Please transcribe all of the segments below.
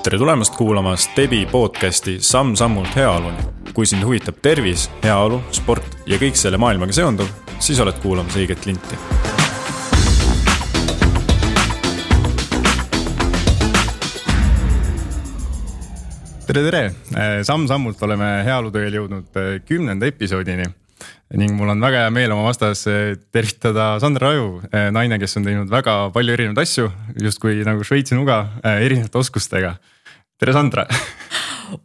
Tere tulemast kuulama Stebi podcasti Samm-sammult heaoluni. Kui sind huvitab tervis, heaolu, sport ja kõik selle maailmaga seonduv, siis oled kuulamas õiget linti. Tere! Samm-sammult oleme heaolutööl jõudnud 10. episoodini ning mul on väga hea meel oma vastas tervitada Sandra Raju, naine, kes on teinud väga palju erinevaid asju, justkui nagu Šveitsi nuga erinevate oskustega. Tere, Sandra!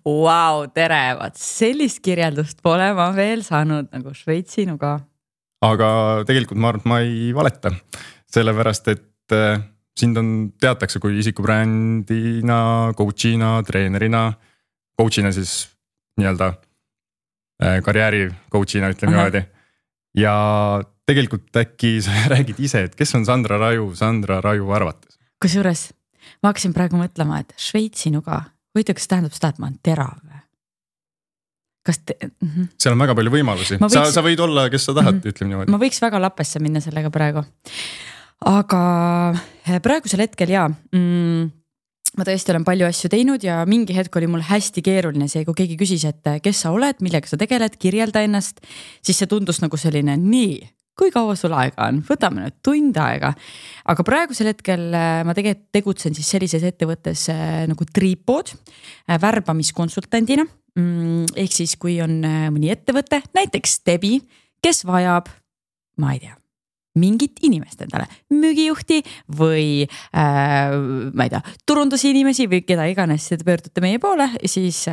Vau, tere! Sellist kirjeldust pole ma veel saanud nagu Šveitsi nuga. Aga tegelikult ma arvan, et ma ei valeta, sellepärast, et sind on teatakse kui isikubrändina, coachina, treenerina, coachina siis nii-öelda karjääri coachina, ütleme niimoodi. Ja tegelikult äkki sa räägid ise, et kes on Sandra Raju arvates? Kusjuures ma hakkasin praegu mõtlema, et Šveitsi nuga, huvitav, kas tähendab seda, et ma olen terav? Seal on väga palju võimalusi. Sa võid olla, kes sa tahad, ütleme niimoodi. Ma võiks väga lappesse minna sellega praegu. Aga praegusel hetkel ma tõesti olen palju asju teinud ja mingi hetk oli mul hästi keeruline see, kui keegi küsis, et kes sa oled, millega sa tegeled, kirjelda ennast, siis see tundus nagu selline, nii, kui kaua sul aega on, võtame nüüd tund aega. Aga praegusel hetkel ma tegutsen siis sellises ettevõttes nagu Tripod, värbamiskonsultandina, ehk siis kui on mõni ettevõte, näiteks Stebi, kes vajab, ma ei tea, mingit inimest endale, müügijuhti või ma ei tea, turundusi inimesi või keda iganes te pöördute meie poole, siis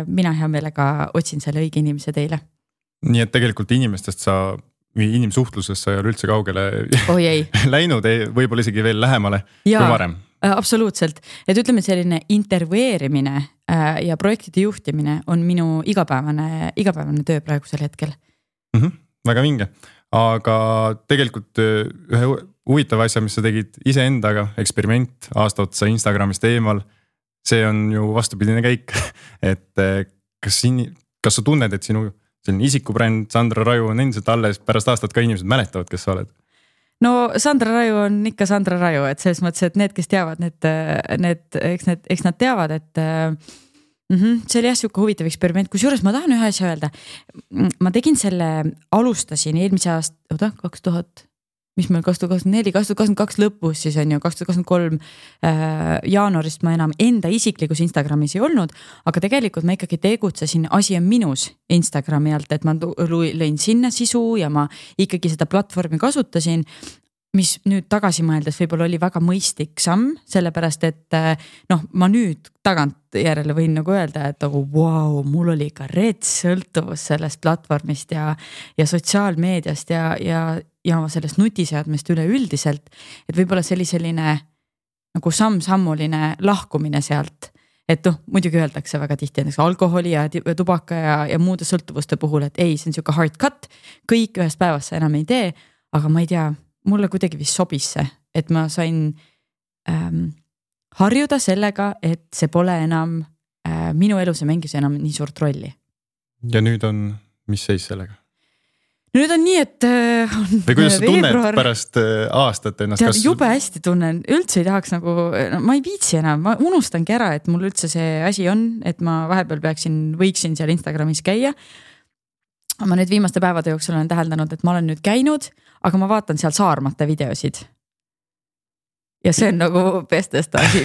mina hea meelega otsin selle õige inimese teile. Nii et tegelikult inimestest inimsuhtlusest sa ei ole üldse kaugele läinud, võib-olla isegi veel lähemale kui varem. Absoluutselt, et ütleme selline intervjueerimine ja projektide juhtimine on minu igapäevane töö praegusel hetkel. Väga vinge. Aga tegelikult ühe huvitava asja, mis sa tegid iseendaga, eksperiment aasta otsa Instagramist eemal, see on ju vastupidine käik, et kas sa tunned, et sinu isikubränd Sandra Raju on endiselt alles pärast aastat ka inimesed mäletavad, kes sa oled? No Sandra Raju on ikka Sandra Raju, et selles mõttes, et need, kes teavad, eks nad teavad, et see oli siuke huvitav eksperiment, kusjuures ma tahan ühe asja öelda. Ma tegin alustasin eelmise aasta, 2024, 2022 lõpus, siis on ju 2023 jaanuarist ma enam enda isiklikus Instagramis ei olnud, aga tegelikult ma ikkagi tegutsesin asi on minus Instagrami alt, et ma lõin sinna sisu ja ma ikkagi seda platvormi kasutasin, mis nüüd tagasi mõeldes võib-olla oli väga mõistlik samm, sellepärast, et ma nüüd tagant järele võin nagu öelda, et wow, mul oli ka sõltuvus sellest platvormist ja sotsiaalmeediast ja sellest nutiseadmest üleüldiselt, et võib-olla selline nagu samm-sammuline lahkumine sealt, et muidugi öeldakse väga tihti näiteks alkoholi ja tubaka ja muude sõltuvuste puhul, et ei, see on siuke hard cut, kõik ühest päevast sa enam ei tee, aga ma ei tea, mulle kuidagi vist sobis see, et ma sain harjuda sellega, et see pole enam minu elus ja mängis enam nii suurt rolli. Ja nüüd on, mis seis sellega? Nüüd on nii, et või kuidas sa tunned pärast aastat ennast? Jube hästi tunnen, üldse ei tahaks nagu, ma ei viitsi enam, ma unustangi ära, et mul üldse see asi on, et ma vahepeal võiksin seal Instagramis käia. Ma nüüd viimaste päevade jooksul olen täheldanud, et ma olen nüüd käinud, aga ma vaatan seal Saarmate videosid. Ja see on nagu bestest asi.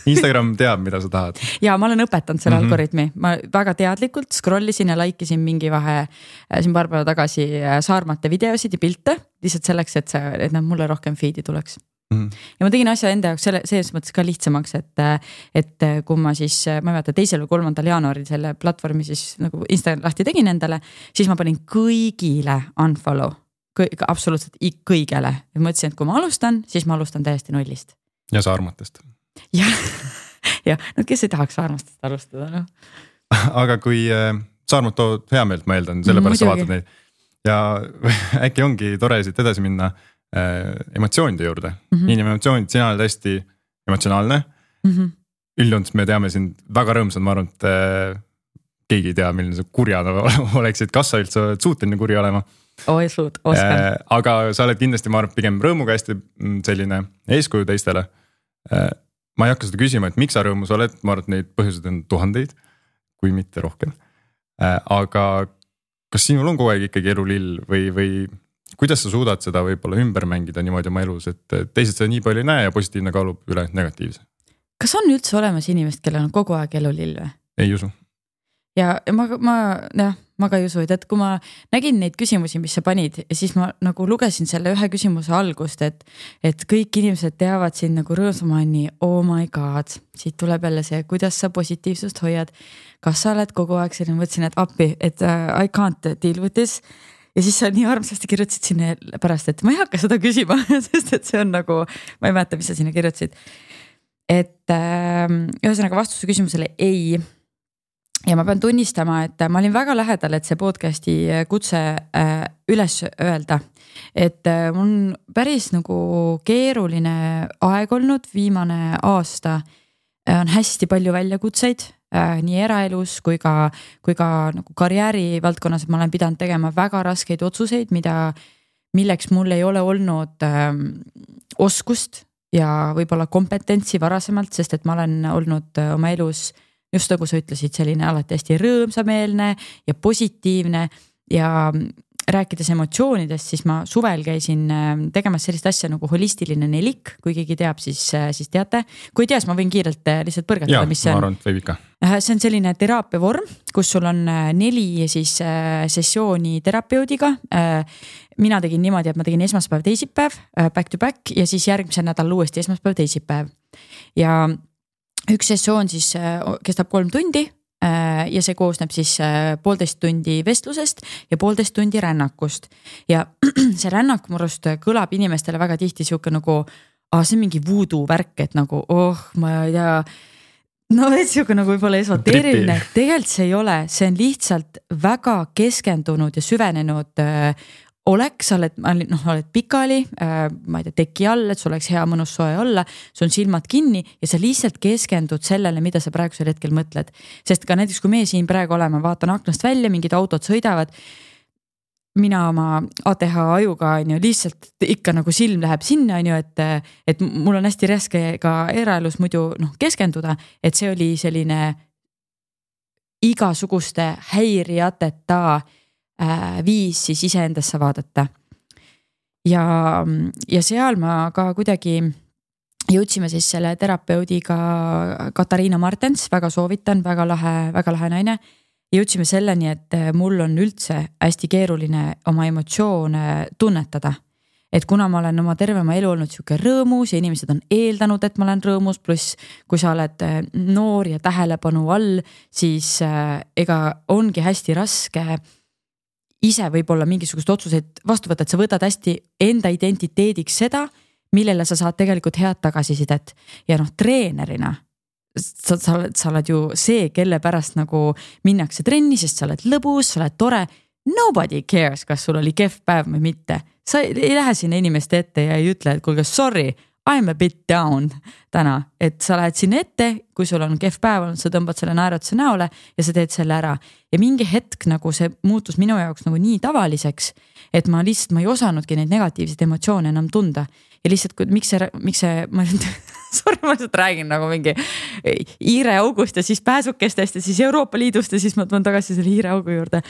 Instagram teab, mida sa tahad. Ja ma olen õpetanud selle algoritmi. Ma väga teadlikult scrollisin ja laikisin mingi vahe siin paar päeva tagasi Saarmate videosid ja pilte, lihtsalt selleks, et nad mulle rohkem feedi tuleks. Ja ma tegin asja enda jaoks selles mõttes ka lihtsamaks, et kui ma siis, ma ei mäleta 2. või 3. jaanuaril selle platvormi siis nagu Instagram lahti tegin endale, siis ma panin kõigile unfollow, absoluutselt kõigele. Ja ma ütlesin, et kui ma alustan, siis ma alustan täiesti nullist. Ja Saarmatest. Ja, no kes ei tahaks Saarmastest alustada, no? Aga kui Saarmat tood hea meelt, ma eeldan, sellepärast sa vaatad neid. Ja äkki ongi tore siit edasi minna emotsioonide juurde. Emotsioonid, sina oled hästi emotsionaalne. Üldjoontes me teame sind väga rõõmsad, ma arvan, et keegi ei tea, milline sa kurjana oleksid, kas sa üldse oled suuteline kuri olema. Aga sa oled kindlasti, ma arvan, pigem rõõmuga hästi selline eeskuju teistele. ma ei hakka seda küsima, et miks sa rõõmus oled, ma arvan, et neid põhjuseid on tuhandeid, kui mitte rohkem. Aga kas sinul on kogu aeg ikkagi elulill või kuidas sa suudad seda võib-olla ümber mängida niimoodi oma elus, et teised seda nii palju ei näe ja positiivne kaalub üle negatiivse? Kas on üldse olemas inimest, kellel on kogu aeg elulill või? Ei usu. Ja ma ka ei usu, et kui ma nägin neid küsimusi, mis sa panid, siis ma nagu lugesin selle ühe küsimuse algust, et kõik inimesed teavad sind nagu rõõmsamani, oh my god, siit tuleb jälle see, kuidas sa positiivsust hoiad. Kas sa oled kogu aeg selline, mõtlesin, et appi, et I can't deal with this. Ja siis sa nii armsasti kirjutasid sinna pärast, et ma ei hakka seda küsima, sest et see on nagu, ma ei mäleta, mis sa sinna kirjutasid. Et ühesõnaga vastuse küsimusele ei. Ja ma pean tunnistama, et ma olin väga lähedal, et see podcasti kutse üles öelda. Et mul on päris nagu keeruline aeg olnud, viimane aasta on hästi palju väljakutseid, nii eraelus kui ka nagu karjääri valdkonnas, et ma olen pidanud tegema väga raskeid otsuseid, milleks mul ei ole olnud oskust ja võib-olla kompetentsi varasemalt, sest et ma olen olnud oma elus just nagu sa ütlesid, selline alati hästi rõõmsameelne ja positiivne ja rääkides emotsioonidest, siis ma suvel käisin tegemas sellist asja nagu holistiline nelik, kui keegi teab, siis teate. Kui ei tea, siis ma võin kiirelt lihtsalt põrgatada, mis see on. Ma arvan, et võib ikka. See on selline teraapia vorm, kus sul on 4 siis sessiooni terapeudiga. Mina tegin niimoodi, et ma tegin esmaspäev, teisipäev, back to back ja siis järgmisel nädal uuesti esmaspäev, teisipäev. Ja üks sessioon siis kestab 3 tundi ja see koosneb siis 1,5 tundi vestlusest ja 1,5 tundi rännakust. Ja see rännak murust kõlab inimestele väga tihti siuke nagu, see on mingi voodoo värk, et nagu, ma ei tea, no et siuke nagu võib-olla esoteeriline, tegelikult see ei ole, see on lihtsalt väga keskendunud ja süvenenud oleks, sa oled pikali, ma ei tea, teki all, et sul oleks hea mõnus soe olla, sul on silmad kinni ja sa lihtsalt keskendud sellele, mida sa praegusel hetkel mõtled. Sest ka näiteks, kui me siin praegu oleme, vaatan aknast välja, mingid autod sõidavad, mina oma ATH ajuga lihtsalt ikka nagu silm läheb sinna, et mul on hästi raske ka eraelus muidu keskenduda, et see oli selline igasuguste häirijateta viis siis iseendasse vaadata. Ja seal ma ka kuidagi jõudsime siis selle terapeudiga Katariina Martens, väga soovitan, väga lahe naine. Jõudsime selleni, et mul on üldse hästi keeruline oma emotsioone tunnetada. Et kuna ma olen oma tervema elu olnud siuke rõõmus ja inimesed on eeldanud, et ma olen rõõmus, pluss kui sa oled noor ja tähelepanu all, siis ega ongi hästi raske ise võib-olla mingisugust otsuseid vastu võtta, et sa võtad hästi enda identiteediks seda, millele sa saad tegelikult head tagasisidet. Ja treenerina, sa oled ju see, kelle pärast nagu minnakse trenni, sest sa oled lõbus, sa oled tore. Nobody cares, kas sul oli kehv päev või mitte. Sa ei lähe sinna inimeste ette ja ei ütle, et kuulge, sorry, I'm a bit down täna, et sa lähed sinna ette, kui sul on kehv päev olnud, sa tõmbad selle naeratuse näole ja sa teed selle ära. Ja mingi hetk nagu see muutus minu jaoks nagu nii tavaliseks, et ma ei osanudki neid negatiivseid emotsioone enam tunda. Ja lihtsalt, miks see, ma lihtsalt räägin nagu mingi hiire august ja siis pääsukestest ja siis Euroopa Liidust ja siis ma tulen tagasi selle hiire augu juurde.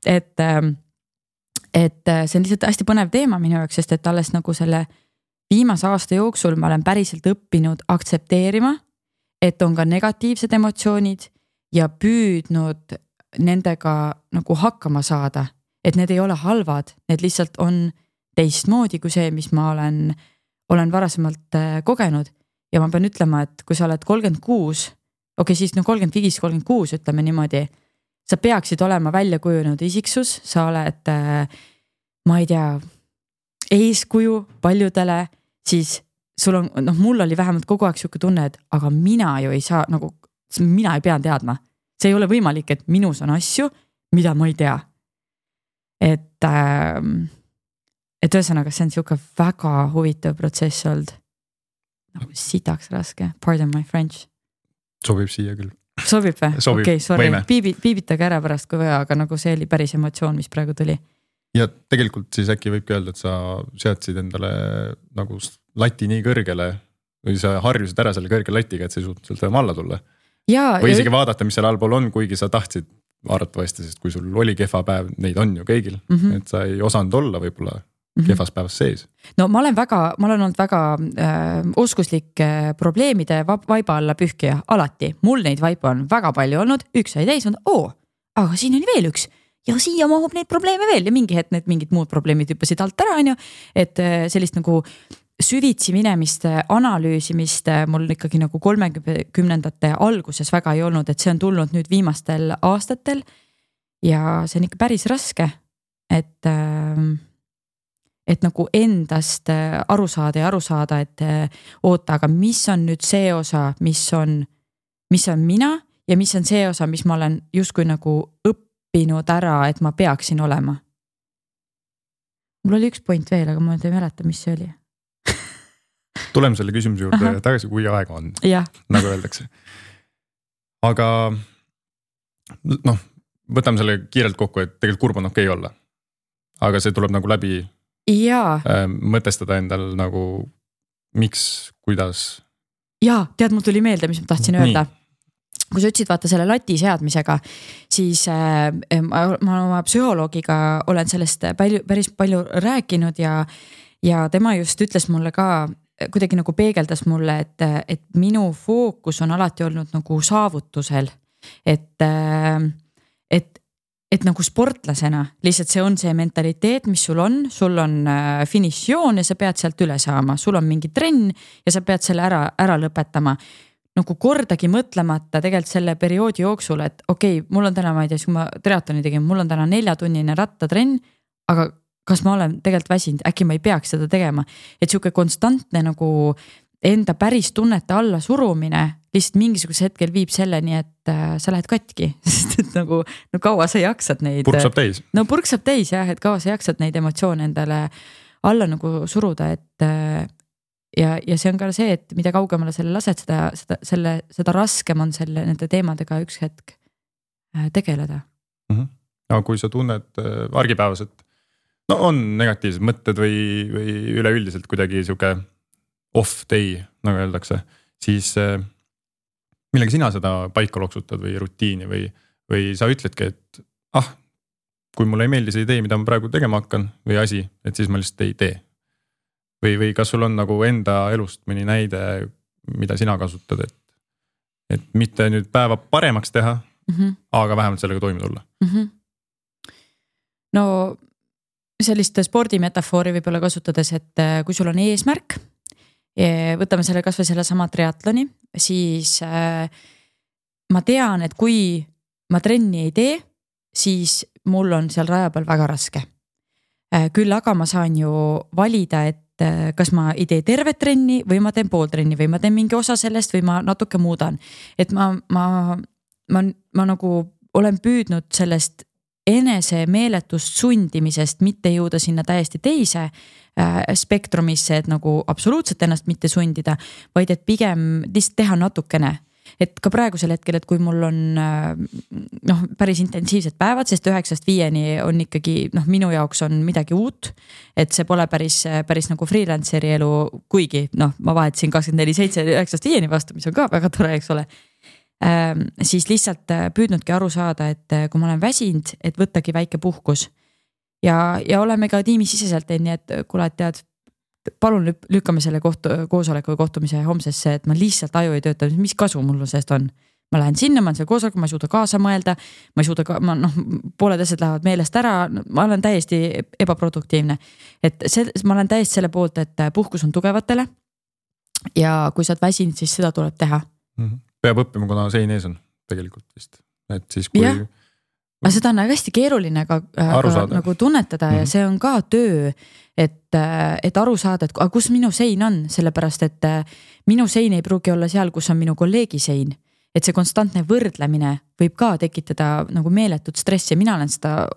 Et see on lihtsalt hästi põnev teema minu jaoks, sest et alles nagu selle viimase aasta jooksul ma olen päriselt õppinud aktsepteerima, et on ka negatiivsed emotsioonid ja püüdnud nendega nagu hakkama saada, et need ei ole halvad, need lihtsalt on teistmoodi kui see, mis ma olen varasemalt kogenud. Ja ma pean ütlema, et kui sa oled 36, siis 35-36 ütleme niimoodi, sa peaksid olema välja kujunenud isiksus, sa oled, ma ei tea, eeskuju paljudele, siis sul on, mul oli vähemalt kogu aeg siuke tunne, et aga mina ju ei saa, nagu mina ei pea teadma. See ei ole võimalik, et minus on asju, mida ma ei tea. Et ühesõnaga, see on siuke väga huvitav protsess olnud. Nagu sitaks raske, pardon my French. Sobib siia küll. Sobib või? Sobib, okay, sorry, piibitage ära pärast kui vaja, aga nagu see oli päris emotsioon, mis praegu tuli. Ja tegelikult siis äkki võibki öelda, et sa seadsid endale nagu lati nii kõrgele, või sa harjusid ära selle kõrge latiga, et sa ei suutnud sealt enam alla tulla. Ja, või isegi vaadata, mis seal allpool on, kuigi sa tahtsid arvatavasti, sest kui sul oli kehva päev, neid on ju kõigil, et sa ei osanud olla võib-olla kehvas päevas sees. No ma olen olnud väga oskuslik probleemide vaiba alla pühkija, alati. Mul neid vaibu on väga palju olnud, üks sai täis, aga siin oli veel üks ja siia mahub neid probleeme veel ja mingi hetk need mingid muud probleemid hüppasid alt ära, on ju. Et sellist nagu süvitsi minemist, analüüsimist mul ikkagi nagu 30ndate alguses väga ei olnud, et see on tulnud nüüd viimastel aastatel ja see on ikka päris raske, et nagu endast aru saada, et oota, aga mis on nüüd see osa, mis on mina ja mis on see osa, mis ma olen justkui nagu õppinud ära, et ma peaksin olema. Mul oli üks point veel, aga ma ei mäleta, mis see oli. Tuleme selle küsimuse juurde tagasi, kui aega on, nagu öeldakse. Aga võtame selle kiirelt kokku, et tegelikult kurb on okei olla. Aga see tuleb nagu läbi mõtestada endal nagu miks, kuidas. Jaa, tead, mul tuli meelde, mis ma tahtsin öelda. Kui sa ütlesid vaata selle lati seadmisega, siis ma oma psühholoogiga olen sellest päris palju rääkinud ja tema just ütles mulle ka, kuidagi nagu peegeldas mulle, et minu fookus on alati olnud nagu saavutusel, et nagu sportlasena, lihtsalt see on see mentaliteet, mis sul on finišjoon ja sa pead sealt üle saama, sul on mingi trenn ja sa pead selle ära lõpetama. Nagu kordagi mõtlemata tegelikult selle perioodi jooksul, et okei, mul on täna, ma ei tea, kui ma triatloni tegin, mul on täna 4-tunnine rattatrenn, aga kas ma olen tegelikult väsinud, äkki ma ei peaks seda tegema, et siuke konstantne nagu enda päris tunnete alla surumine lihtsalt mingisuguse hetkel viib selleni, et sa lähed katki, sest et nagu kaua sa jaksad neid. Purk saab täis. No purk saab täis jah, et kaua sa jaksad neid emotsioone endale alla nagu suruda, et ja see on ka see, et mida kaugemale selle lased, seda raskem on nende teemadega üks hetk tegeleda. Aga kui sa tunned argipäevas, et on negatiivsed mõtted või üleüldiselt kuidagi siuke off day, nagu öeldakse, siis millega sina seda paika loksutad või rutiini või sa ütledki, et kui mulle ei meeldi see idee, mida ma praegu tegema hakkan või asi, et siis ma lihtsalt ei tee. Või kas sul on nagu enda elust mõni näide, mida sina kasutad, et mitte nüüd päeva paremaks teha, aga vähemalt sellega toime tulla? No sellist spordimetafoori võib-olla kasutades, et kui sul on eesmärk, võtame selle kas või selle sama triatloni, siis ma tean, et kui ma trenni ei tee, siis mul on seal raja peal väga raske. Küll aga ma saan ju valida, et kas ma ei tee tervet trenni või ma teen pool trenni või ma teen mingi osa sellest või ma natuke muudan. Et ma nagu olen püüdnud sellest enese meeletust sundimisest mitte jõuda sinna täiesti teise spektrumisse, et nagu absoluutselt ennast mitte sundida, vaid et pigem lihtsalt teha natukene. Et ka praegusel hetkel, et kui mul on päris intensiivsed päevad, sest 9-5 on ikkagi minu jaoks on midagi uut, et see pole päris nagu freelanceri elu, kuigi ma vahetasin 24/7 9-5 vastu, mis on ka väga tore, eks ole. Siis lihtsalt püüdnudki aru saada, et kui ma olen väsinud, et võttagi väike puhkus ja oleme ka tiimisiseselt nii, et kuule, et tead, palun lükkame selle koosoleku või kohtumise homsesse, et ma lihtsalt aju ei tööta, mis kasu mul sellest on. Ma lähen sinna, ma olen seal koosolekul, ma ei suuda kaasa mõelda, ma ei suuda pooled asjad lähevad meelest ära, ma olen täiesti ebaproduktiivne. Et ma olen täiesti selle poolt, et puhkus on tugevatele ja kui sa oled väsinud, siis seda tuleb teha. Peab õppima, kuna sein ees on tegelikult vist. Et siis kui... Aga seda on hästi keeruline nagu tunnetada ja see on ka töö, et aru saada, et kus minu sein on, sellepärast, et minu sein ei pruugi olla seal, kus on minu kolleegi sein. Et see konstantne võrdlemine võib ka tekitada nagu meeletut stressi. Mina olen seda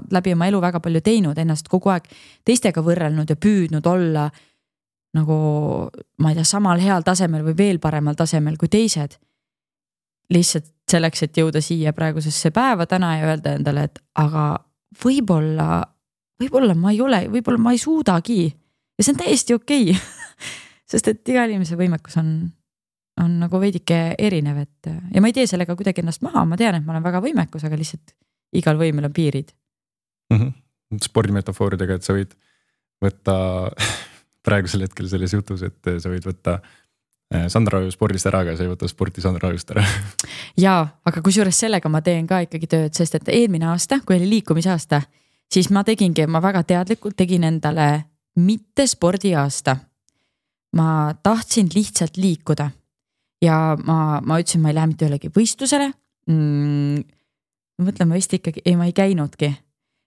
läbi oma elu väga palju teinud, ennast kogu aeg teistega võrrelnud ja püüdnud olla nagu, ma ei tea, samal heal tasemel või veel paremal tasemel kui teised. Lihtsalt selleks, et jõuda siia praegusesse päeva täna ja öelda endale, et aga võib-olla ma ei ole, võib-olla ma ei suudagi ja see on täiesti okei. sest et iga inimese võimekus on nagu veidike erinev, et ja ma ei tee sellega kuidagi ennast maha, ma tean, et ma olen väga võimekus, aga lihtsalt igal võimel on piirid. Spordimetafooridega, et sa võid võtta praegusel hetkel selles jutus, et sa võid võtta Sandra Aju spordist ära, aga sa ei võta sporti Sandra Ajust ära. Jaa, aga kusjuures sellega ma teen ka ikkagi tööd, sest et eelmine aasta, kui oli liikumisaasta, siis ma väga teadlikult tegin endale mitte spordiaasta. Ma tahtsin lihtsalt liikuda ja ma ütlesin, ma ei lähe mitte ühelegi võistlusele. Mõtlen, ma vist ikkagi, ma ei käinudki.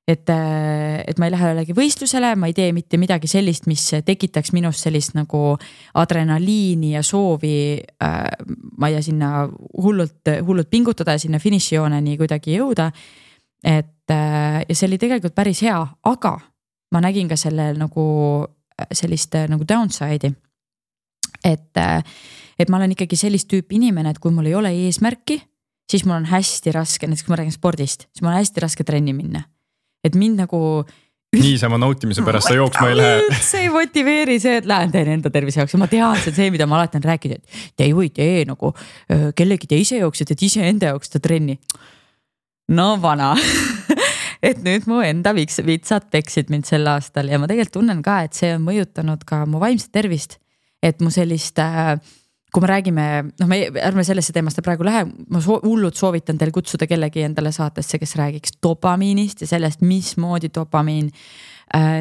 Et ma ei lähe ühelegi võistlusele, ma ei tee mitte midagi sellist, mis tekitaks minust sellist nagu adrenaliini ja soovi, ma ei tea, sinna hullult pingutada ja sinna finišijooneni kuidagi jõuda. Ja see oli tegelikult päris hea, aga ma nägin ka sellel nagu sellist nagu downside'i. Et ma olen ikkagi sellist tüüpi inimene, et kui mul ei ole eesmärki, siis mul on hästi raske, näiteks kui ma räägin spordist, siis mul on hästi raske trenni minna. Et mind nagu niisama nautimise pärast sa jooksma ei lähe. See ei motiveeri see, et lähen teen enda tervise jaoks ja ma tean see, mida ma alati on rääkinud, et te ei või tee nagu kellegi teise jooksed, et ise enda jaoks ta trenni. No vana. Et nüüd mu enda vitsad peksid mind sel aastal ja ma tegelikult tunnen ka, et see on mõjutanud ka mu vaimset tervist. Et mu sellist, kui me räägime, ärme sellesse teemast praegu lähe, ma hullult soovitan teil kutsuda kellegi endale saatesse, kes räägiks dopamiinist ja sellest, mismoodi dopamiin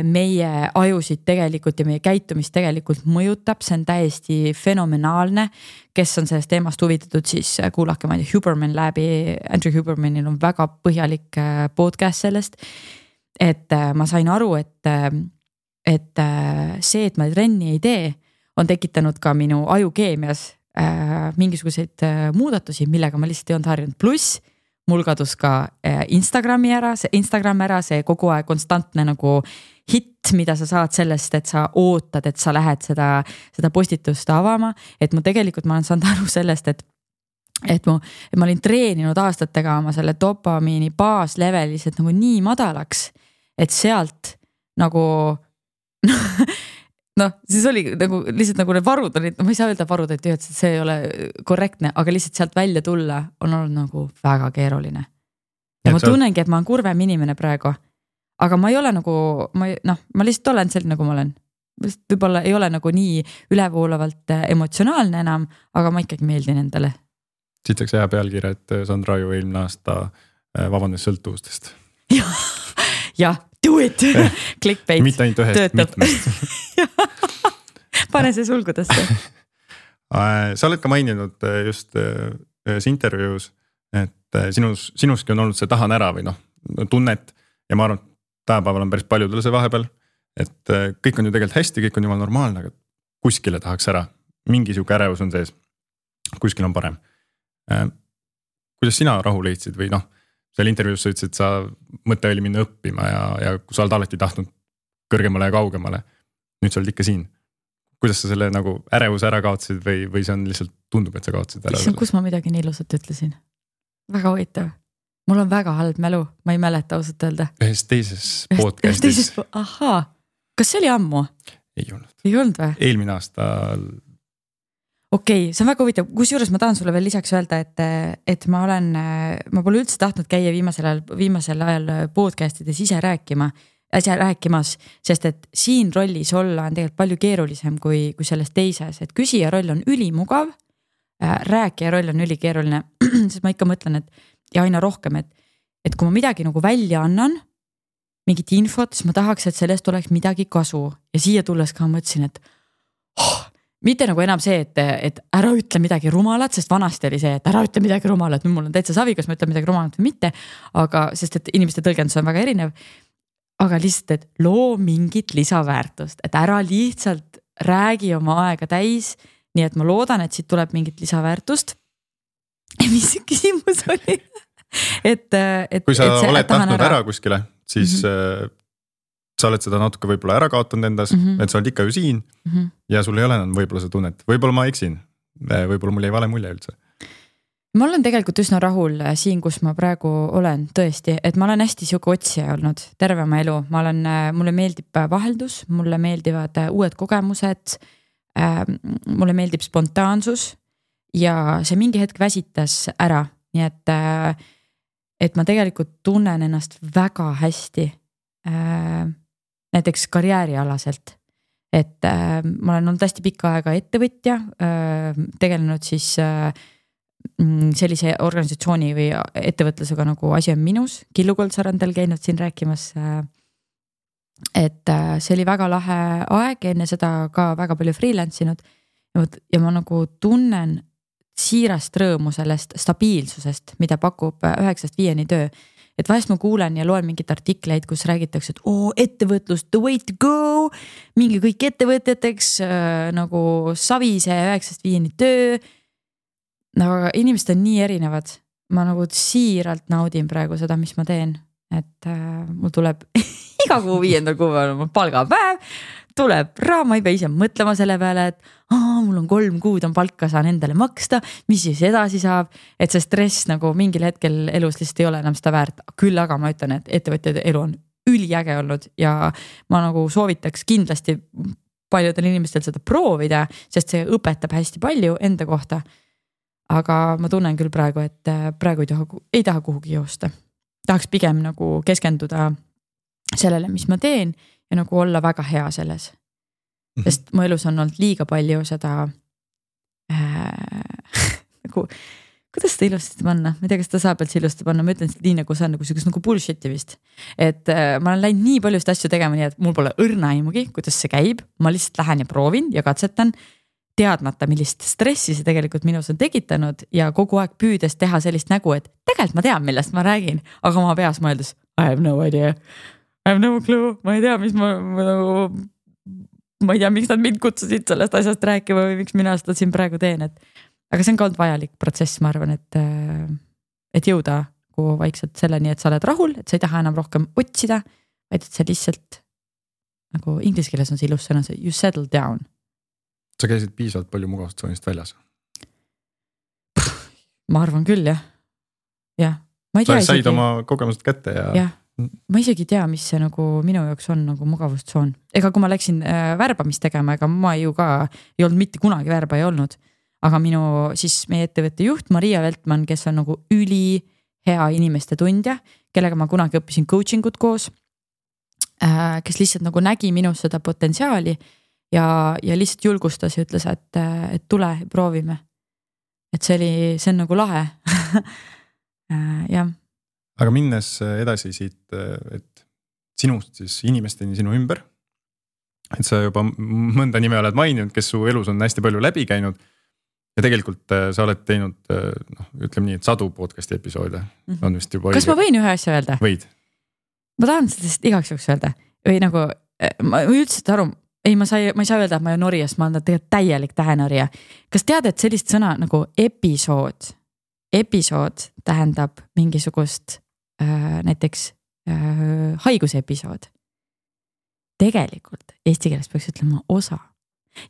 meie ajusid tegelikult ja meie käitumist tegelikult mõjutab, see on täiesti fenomenaalne. Kes on sellest teemast huvitatud, siis kuulake, ma ei tea, Huberman läbi, Andrew Hubermanil on väga põhjalik podcast sellest, et ma sain aru, et see, et ma trenni ei tee, on tekitanud ka minu ajukeemias mingisuguseid muudatusi, millega ma lihtsalt ei olnud harjunud. Pluss mul kadus ka Instagram ära, see kogu aeg konstantne nagu hit, mida sa saad sellest, et sa ootad, et sa lähed seda postitust avama. Et ma olen saanud aru sellest, et ma olin treeninud aastatega oma selle dopamiini baaslevel lihtsalt nagu nii madalaks, et sealt nagu siis oli nagu lihtsalt nagu need varud olid, ma ei saa öelda varud, et see ei ole korrektne, aga lihtsalt sealt välja tulla on olnud nagu väga keeruline. Ja ma tunnengi, et ma olen kurvem inimene praegu, aga ma ei ole nagu, ma lihtsalt olen selline, nagu ma olen. Võib-olla ei ole nagu nii ülevoolavalt emotsionaalne enam, aga ma ikkagi meeldin endale. Siit saaks hea pealkirja, et Sandra Aju eelmine aasta vabandas sõltuvustest. Jah, do it! Clickbait. Mitte ainult ühest, mitmest. Pane see sulgudesse. Sa oled ka maininud just ühes intervjuus, et sinuski on olnud see tahan ära või tunnet ja ma arvan, et tänapäeval on päris paljudel see vahepeal, et kõik on ju tegelikult hästi, kõik on jumal normaalne, aga kuskile tahaks ära. Mingi siuke ärevus on sees, kuskil on parem. Kuidas sina rahu leidsid või seal intervjuus sa ütlesid, et sa mõte oli minna õppima ja kui sa oled alati tahtnud kõrgemale ja kaugemale, nüüd sa oled ikka siin. Kuidas sa selle nagu ärevuse ära kaotsid või see on lihtsalt tundub, et sa kaotsid ära? Kus ma midagi nii ilusat ütlesin? Väga huvitav. Mul on väga halb mälu, ma ei mäleta ausalt öelda. Ühes teises podcastis. Ahaa, kas see oli ammu? Ei olnud. Ei olnud või? Eelmine aasta. Okei, see on väga huvitav. Kusjuures ma tahan sulle veel lisaks öelda, et ma pole üldse tahtnud käia viimasel ajal podcastides ise rääkimas, sest et siin rollis olla on tegelikult palju keerulisem kui selles teises, et küsija roll on ülimugav, rääkija roll on ülikeeruline, sest ma ikka mõtlen, ja aina rohkem, et kui ma midagi nagu välja annan, mingit infot, siis ma tahaks, et sellest oleks midagi kasu ja siia tulles ka mõtlesin, et mitte nagu enam see, et ära ütle midagi rumalat, sest vanasti oli see, et ära ütle midagi rumalat, nüüd mul on täitsa savi, kas ma ütlen midagi rumalat või mitte, aga sest et inimeste tõlgendus on väga erinev, aga lihtsalt, et loo mingit lisaväärtust, et ära lihtsalt räägi oma aega täis, nii et ma loodan, et siit tuleb mingit lisaväärtust. Mis see küsimus oli? Kui sa oled tahtnud ära kuskile, siis sa oled seda natuke võib-olla ära kaotanud endas, et sa oled ikka ju siin ja sul ei ole enam võib-olla see tunnet. Võib-olla ma eksin, võib-olla mul ei vale mulje üldse. Ma olen tegelikult üsna rahul siin, kus ma praegu olen tõesti, et ma olen hästi siuke otsija olnud terve oma elu. Mulle meeldib vaheldus, mulle meeldivad uued kogemused. mulle meeldib spontaansus ja see mingi hetk väsitas ära, nii et ma tegelikult tunnen ennast väga hästi näiteks karjäärialaselt. Et ma olen olnud hästi pikka aega ettevõtja, tegelenud siis sellise organisatsiooni või ettevõtlusega nagu Asi on minus, Killu Koldsarandel käinud siin rääkimas. Et see oli väga lahe aeg, enne seda ka väga palju freelance'inud ja ma nagu tunnen siirast rõõmu sellest stabiilsusest, mida pakub 9-5 töö. Et vahest ma kuulen ja loen mingit artikleid, kus räägitakse, et ettevõtlus, the way to go, mingi kõik ettevõtjateks nagu savise 9-5 töö. Aga inimesed on nii erinevad. Ma nagu siiralt naudin praegu seda, mis ma teen. Et mul tuleb iga kuu 5. kuupäeval oma palgapäev, tuleb raha, ma ei pea ise mõtlema selle peale, et mul on 3 kuud on palka, saan endale maksta, mis siis edasi saab, et see stress nagu mingil hetkel elus lihtsalt ei ole enam seda väärt. Küll aga ma ütlen, et ettevõtjate elu on üliäge olnud ja ma nagu soovitaks kindlasti paljudel inimestel seda proovida, sest see õpetab hästi palju enda kohta. Aga ma tunnen küll praegu, et praegu ei taha kuhugi joosta. Tahaks pigem nagu keskenduda sellele, mis ma teen ja nagu olla väga hea selles. Sest mu elus on olnud liiga palju seda nagu, kuidas seda ilusti panna? Ma ei tea, kas ta saab üldse ilusti panna, ma ütlen seda nii nagu see on nagu bullshit'i vist. Et ma olen läinud nii paljust asju tegema, nii et mul pole õrna aimugi, kuidas see käib. Ma lihtsalt lähen ja proovin ja katsetan teadmata, millist stressi see tegelikult minus on tekitanud ja kogu aeg püüdes teha sellist nägu, et tegelikult ma tean, millest ma räägin, aga ma peas mõeldes, I have no idea, I have no clue, ma ei tea, ma ei tea, miks nad mind kutsusid sellest asjast rääkima või miks mina seda siin praegu teen, aga see on ka olnud vajalik protsess, ma arvan, et jõuda vaikselt selleni, et sa oled rahul, et sa ei taha enam rohkem otsida, vaid et sa lihtsalt, nagu inglise keeles on see ilus sõna, you settle down. Sa käisid piisavalt palju mugavustsoonist väljas? Ma arvan küll, jah. Jah. Ma ei tea sa said oma kogemused kätte ja... Jah. Ma isegi tea, mis see nagu minu jaoks on nagu mugavustsoon. Ega kui ma läksin värbamist tegema, ega ma ju ka ei olnud mitte kunagi värba ei olnud. Aga siis meie ettevõtte juht Maria Veltman, kes on nagu üli hea inimeste tundja, kellega ma kunagi õppisin coachingut koos, kes lihtsalt nagu nägi minus seda potentsiaali ja lihtsalt julgustas ja ütles, et tule, proovime. Et see on nagu lahe. Jah. Aga minnes edasi siit, et sinust siis inimesteni sinu ümber, et sa juba mõnda nime oled maininud, kes su elus on hästi palju läbi käinud ja tegelikult sa oled teinud, ütleme nii, et 100 podcasti episoode. On vist juba kas ma võin ühe asja öelda? Võid. Ma tahan sellest igaks juhuks öelda või nagu, ma üldse aru, ma ei saa öelda, et ma olen norijas, ma olen tegelikult täielik tähenorija. Kas tead, et sellist sõna nagu episood tähendab mingisugust näiteks haigusepisood. Tegelikult eesti keeles peaks ütlema osa.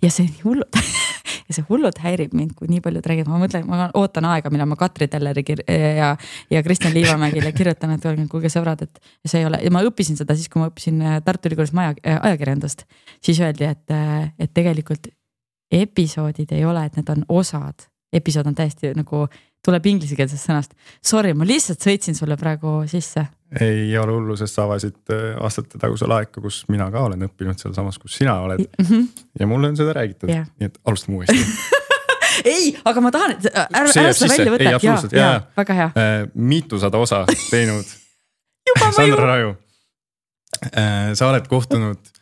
Ja see hullud häirib mind, kui nii paljud räägid. Ma mõtlen, ma ootan aega, mille ma Katri Telleri ja Kristjan Liivamägile kirjutan, et kuulge sõbrad, et see ei ole. Ja ma õppisin seda siis, kui ma õppisin Tartu Ülikoolis ajakirjandust, siis öeldi, et tegelikult episoodid ei ole, et need on osad. Episood on täiesti nagu tuleb inglise-keelsest sõnast. Sorry, ma lihtsalt sõitsin sulle praegu sisse. Ei ole hullu, sest sa avasid aastate tagusel aega, kus mina ka olen õppinud seal samas, kus sina oled. Ja mulle on seda räägitud, nii et alustame uuesti. Ei, aga ma tahan, et ära seda välja võtta. Ja, väga hea. Miitusada osa teinud Sandra Raju. Sa oled kohtunud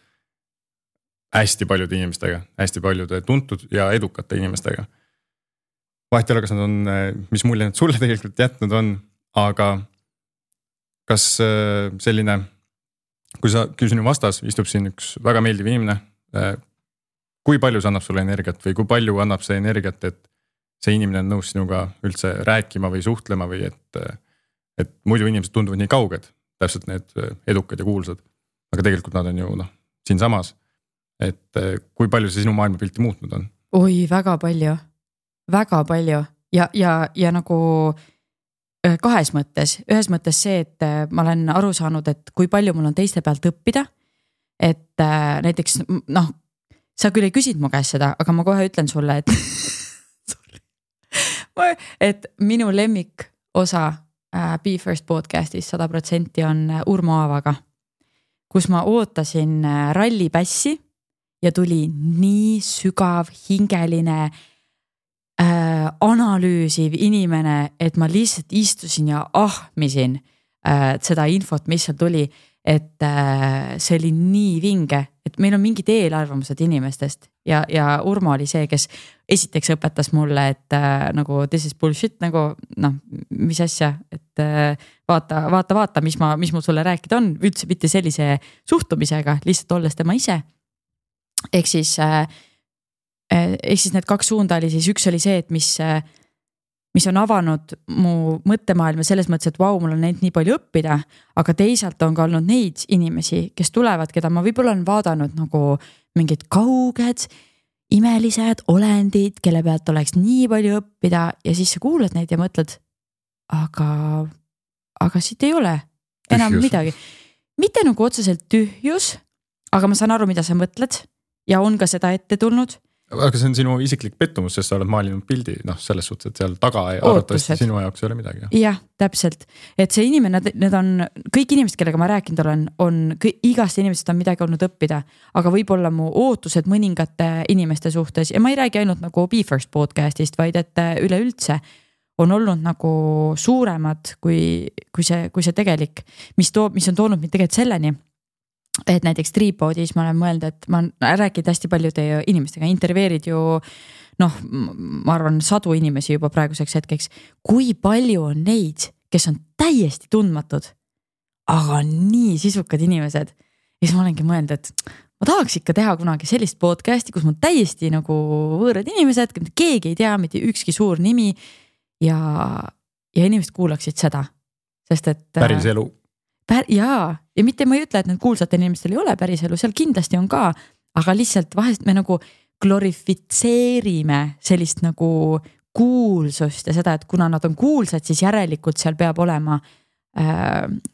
hästi paljude inimestega, hästi paljude tuntud ja edukate inimestega. Vahet ei ole, kas nad on, mis mulje nüüd sulle tegelikult jätnud on, aga kas selline, kui sinu vastas istub siin üks väga meeldiv inimene, kui palju see annab sulle energiat või kui palju annab see energiat, et see inimene on nõus sinuga üldse rääkima või suhtlema või et muidu inimesed tunduvad nii kauged, täpselt need edukad ja kuulsad, aga tegelikult nad on ju siin samas, et kui palju see sinu maailmapilti muutnud on? Oi, väga palju ja nagu kahes mõttes. Ühes mõttes see, et ma olen aru saanud, et kui palju mul on teiste pealt õppida, et näiteks sa küll ei küsinud mu käest seda, aga ma kohe ütlen sulle, et minu lemmik osa Be First podcastis 100% on Urmo Aavaga, kus ma ootasin rallipässi ja tuli nii sügav, hingeline, analüüsiv inimene, et ma lihtsalt istusin ja ahmisin seda infot, mis seal tuli, et see oli nii vinge, et meil on mingid eelarvamused inimestest ja Urmo oli see, kes esiteks õpetas mulle, et nagu this is bullshit, nagu noh, mis asja, et vaata, mis mul sulle rääkida on, üldse mitte sellise suhtumisega, lihtsalt olles tema ise. Ehk siis need 2 suunda oli siis, üks oli see, et mis on avanud mu mõttemaailma selles mõttes, et vau, mul on neid nii palju õppida, aga teisalt on ka olnud neid inimesi, kes tulevad, keda ma võib-olla olen vaadanud nagu mingid kauged, imelised olendid, kelle pealt oleks nii palju õppida ja siis sa kuulad neid ja mõtled, aga siit ei ole enam midagi. Mitte nagu otseselt tühjus, aga ma saan aru, mida sa mõtled ja on ka seda ette tulnud. Aga see on sinu isiklik pettumus, sest sa oled maalinud pildi, noh selles suhtes, et seal taga arvatavasti sinu jaoks ei ole midagi. Jah, täpselt. Et see inimene, need on kõik inimesed, kellega ma rääkinud on igast inimesed on midagi olnud õppida, aga võib-olla mu ootused mõningate inimeste suhtes ja ma ei räägi ainult nagu Be First podcastist, vaid et üleüldse on olnud nagu suuremad kui see tegelik, mis on toonud mind tegelikult selleni, et näiteks Triipodis ma olen mõelnud, et ma räägid hästi paljude inimestega, intervjueerid ju noh, ma arvan 100 inimesi juba praeguseks hetkeks, kui palju on neid, kes on täiesti tundmatud, aga nii sisukad inimesed. Ja siis ma olengi mõelnud, et ma tahaks ikka teha kunagi sellist podcasti, kus mul täiesti nagu võõrad inimesed, keegi ei tea, mitte ükski suur nimi ja inimesed kuulaksid seda, sest et päris elu. Ja mitte ma ei ütle, et need kuulsatel inimestel ei ole päris elu, seal kindlasti on ka, aga lihtsalt vahest me nagu glorifitseerime sellist nagu kuulsust ja seda, et kuna nad on kuulsad, siis järelikult seal peab olema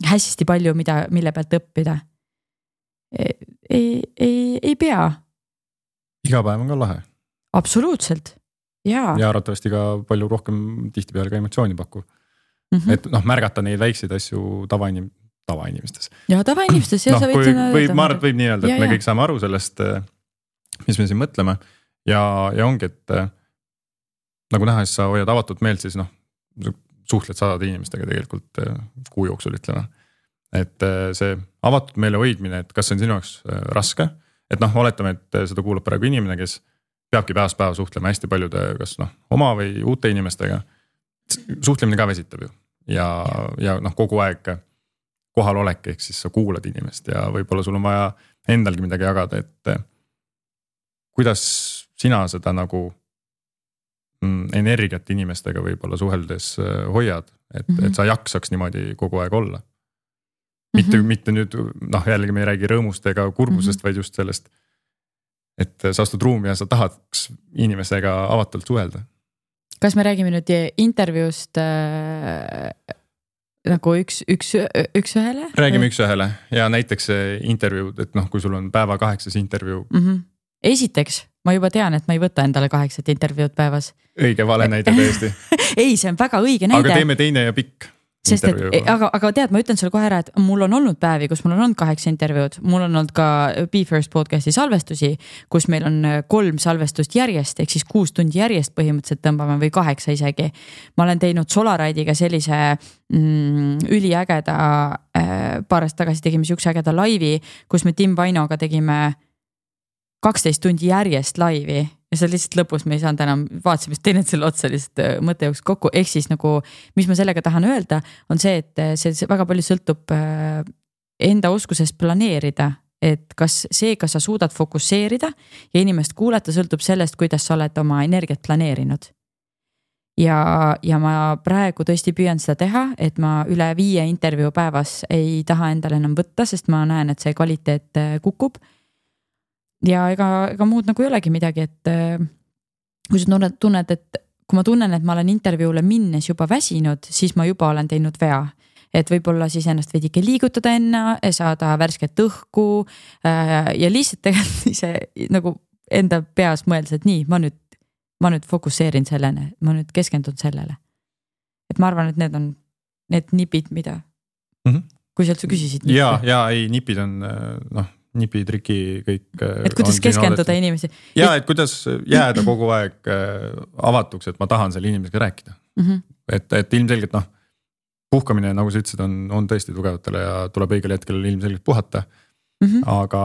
hästi palju, mille pealt õppida. Ei pea. Iga päev on ka lahe. Absoluutselt, jaa. Ja arvatavasti ka palju rohkem tihtipeale ka emotsiooni pakku. Et noh, märgata neid väikseid asju tavainimestes. Ja tavainimestes, ja sa võid öelda. Ma arvan, võib nii öelda, et me kõik saame aru sellest, mis me siin mõtleme ja ongi, et nagu näha, siis sa hoiad avatud meelt, siis noh, suhtled 100 inimestega tegelikult kuu jooksul ütleme. Et see avatud meele hoidmine, et kas see on sinu jaoks raske, et noh, oletame, et seda kuulab praegu inimene, kes peabki päevast päeva suhtlema hästi paljude, kas noh, oma või uute inimestega. Suhtlemine ka väsitab ju ja noh, kogu aeg kohal olek, ehk siis sa kuulad inimest ja võib-olla sul on vaja endalgi midagi jagada, et kuidas sina seda nagu energiat inimestega võib-olla suheldes hoiad, et sa jaksaks niimoodi kogu aeg olla. Mitte nüüd, noh jällegi me ei räägi rõõmust ega kurbusest, vaid just sellest, et sa astud ruumi ja sa tahaks inimesega avatult suhelda. Kas me räägime nüüd intervjuust nagu üks ühele? Räägime üks ühele ja näiteks intervjuu, et noh, kui sul on päeva 8 intervjuu. Esiteks, ma juba tean, et ma ei võta endale 8 intervjuud päevas. Õige vale näide tõesti. Ei, see on väga õige näide. Aga teeme teine ja pikk. Sest et, aga tead, ma ütlen sulle kohe ära, et mul on olnud päevi, kus mul on olnud 8 intervjuud, mul on olnud ka Be First podcasti salvestusi, kus meil on 3 salvestust järjest, ehk siis 6 tundi järjest põhimõtteliselt tõmbame või 8 isegi. Ma olen teinud Solaride'iga sellise üliägeda, paar aastat tagasi tegime üks ägeda laivi, kus me Tim Vainoga tegime 12 tundi järjest laivi ja see lihtsalt lõpus me ei saanud enam, vaatasime teinud selle otsa lihtsalt mõtte jooks kokku, ehk siis nagu, mis ma sellega tahan öelda, on see, et see väga palju sõltub enda oskusest planeerida, et kas sa suudad fokusseerida ja inimest kuulata sõltub sellest, kuidas sa oled oma energiat planeerinud. Ja ma praegu tõesti püüan seda teha, et ma üle 5 intervjuu päevas ei taha endale enam võtta, sest ma näen, et see kvaliteet kukub. Ja ega muud nagu ei olegi midagi, et kui sa tunned, et kui ma tunnen, et ma olen intervjuule minnes juba väsinud, siis ma juba olen teinud vea. Et võib-olla siis ennast veidike liigutada enne, saada värsket õhku ja lihtsalt tegelikult ise nagu enda peas mõeldes, et nii, ma nüüd fokusseerin sellele, ma nüüd keskendun sellele. Et ma arvan, et need on need nipid, mida, kui sealt sa küsisid. Ja ei, nipid on nipi, triki, kõik. Et kuidas keskenduda inimesi. Ja, et kuidas jääda kogu aeg avatuks, et ma tahan selle inimesega rääkida. Et ilmselgelt puhkamine, nagu sa ütlesid, on tõesti tugevatele ja tuleb õigel hetkel ilmselgelt puhata. Aga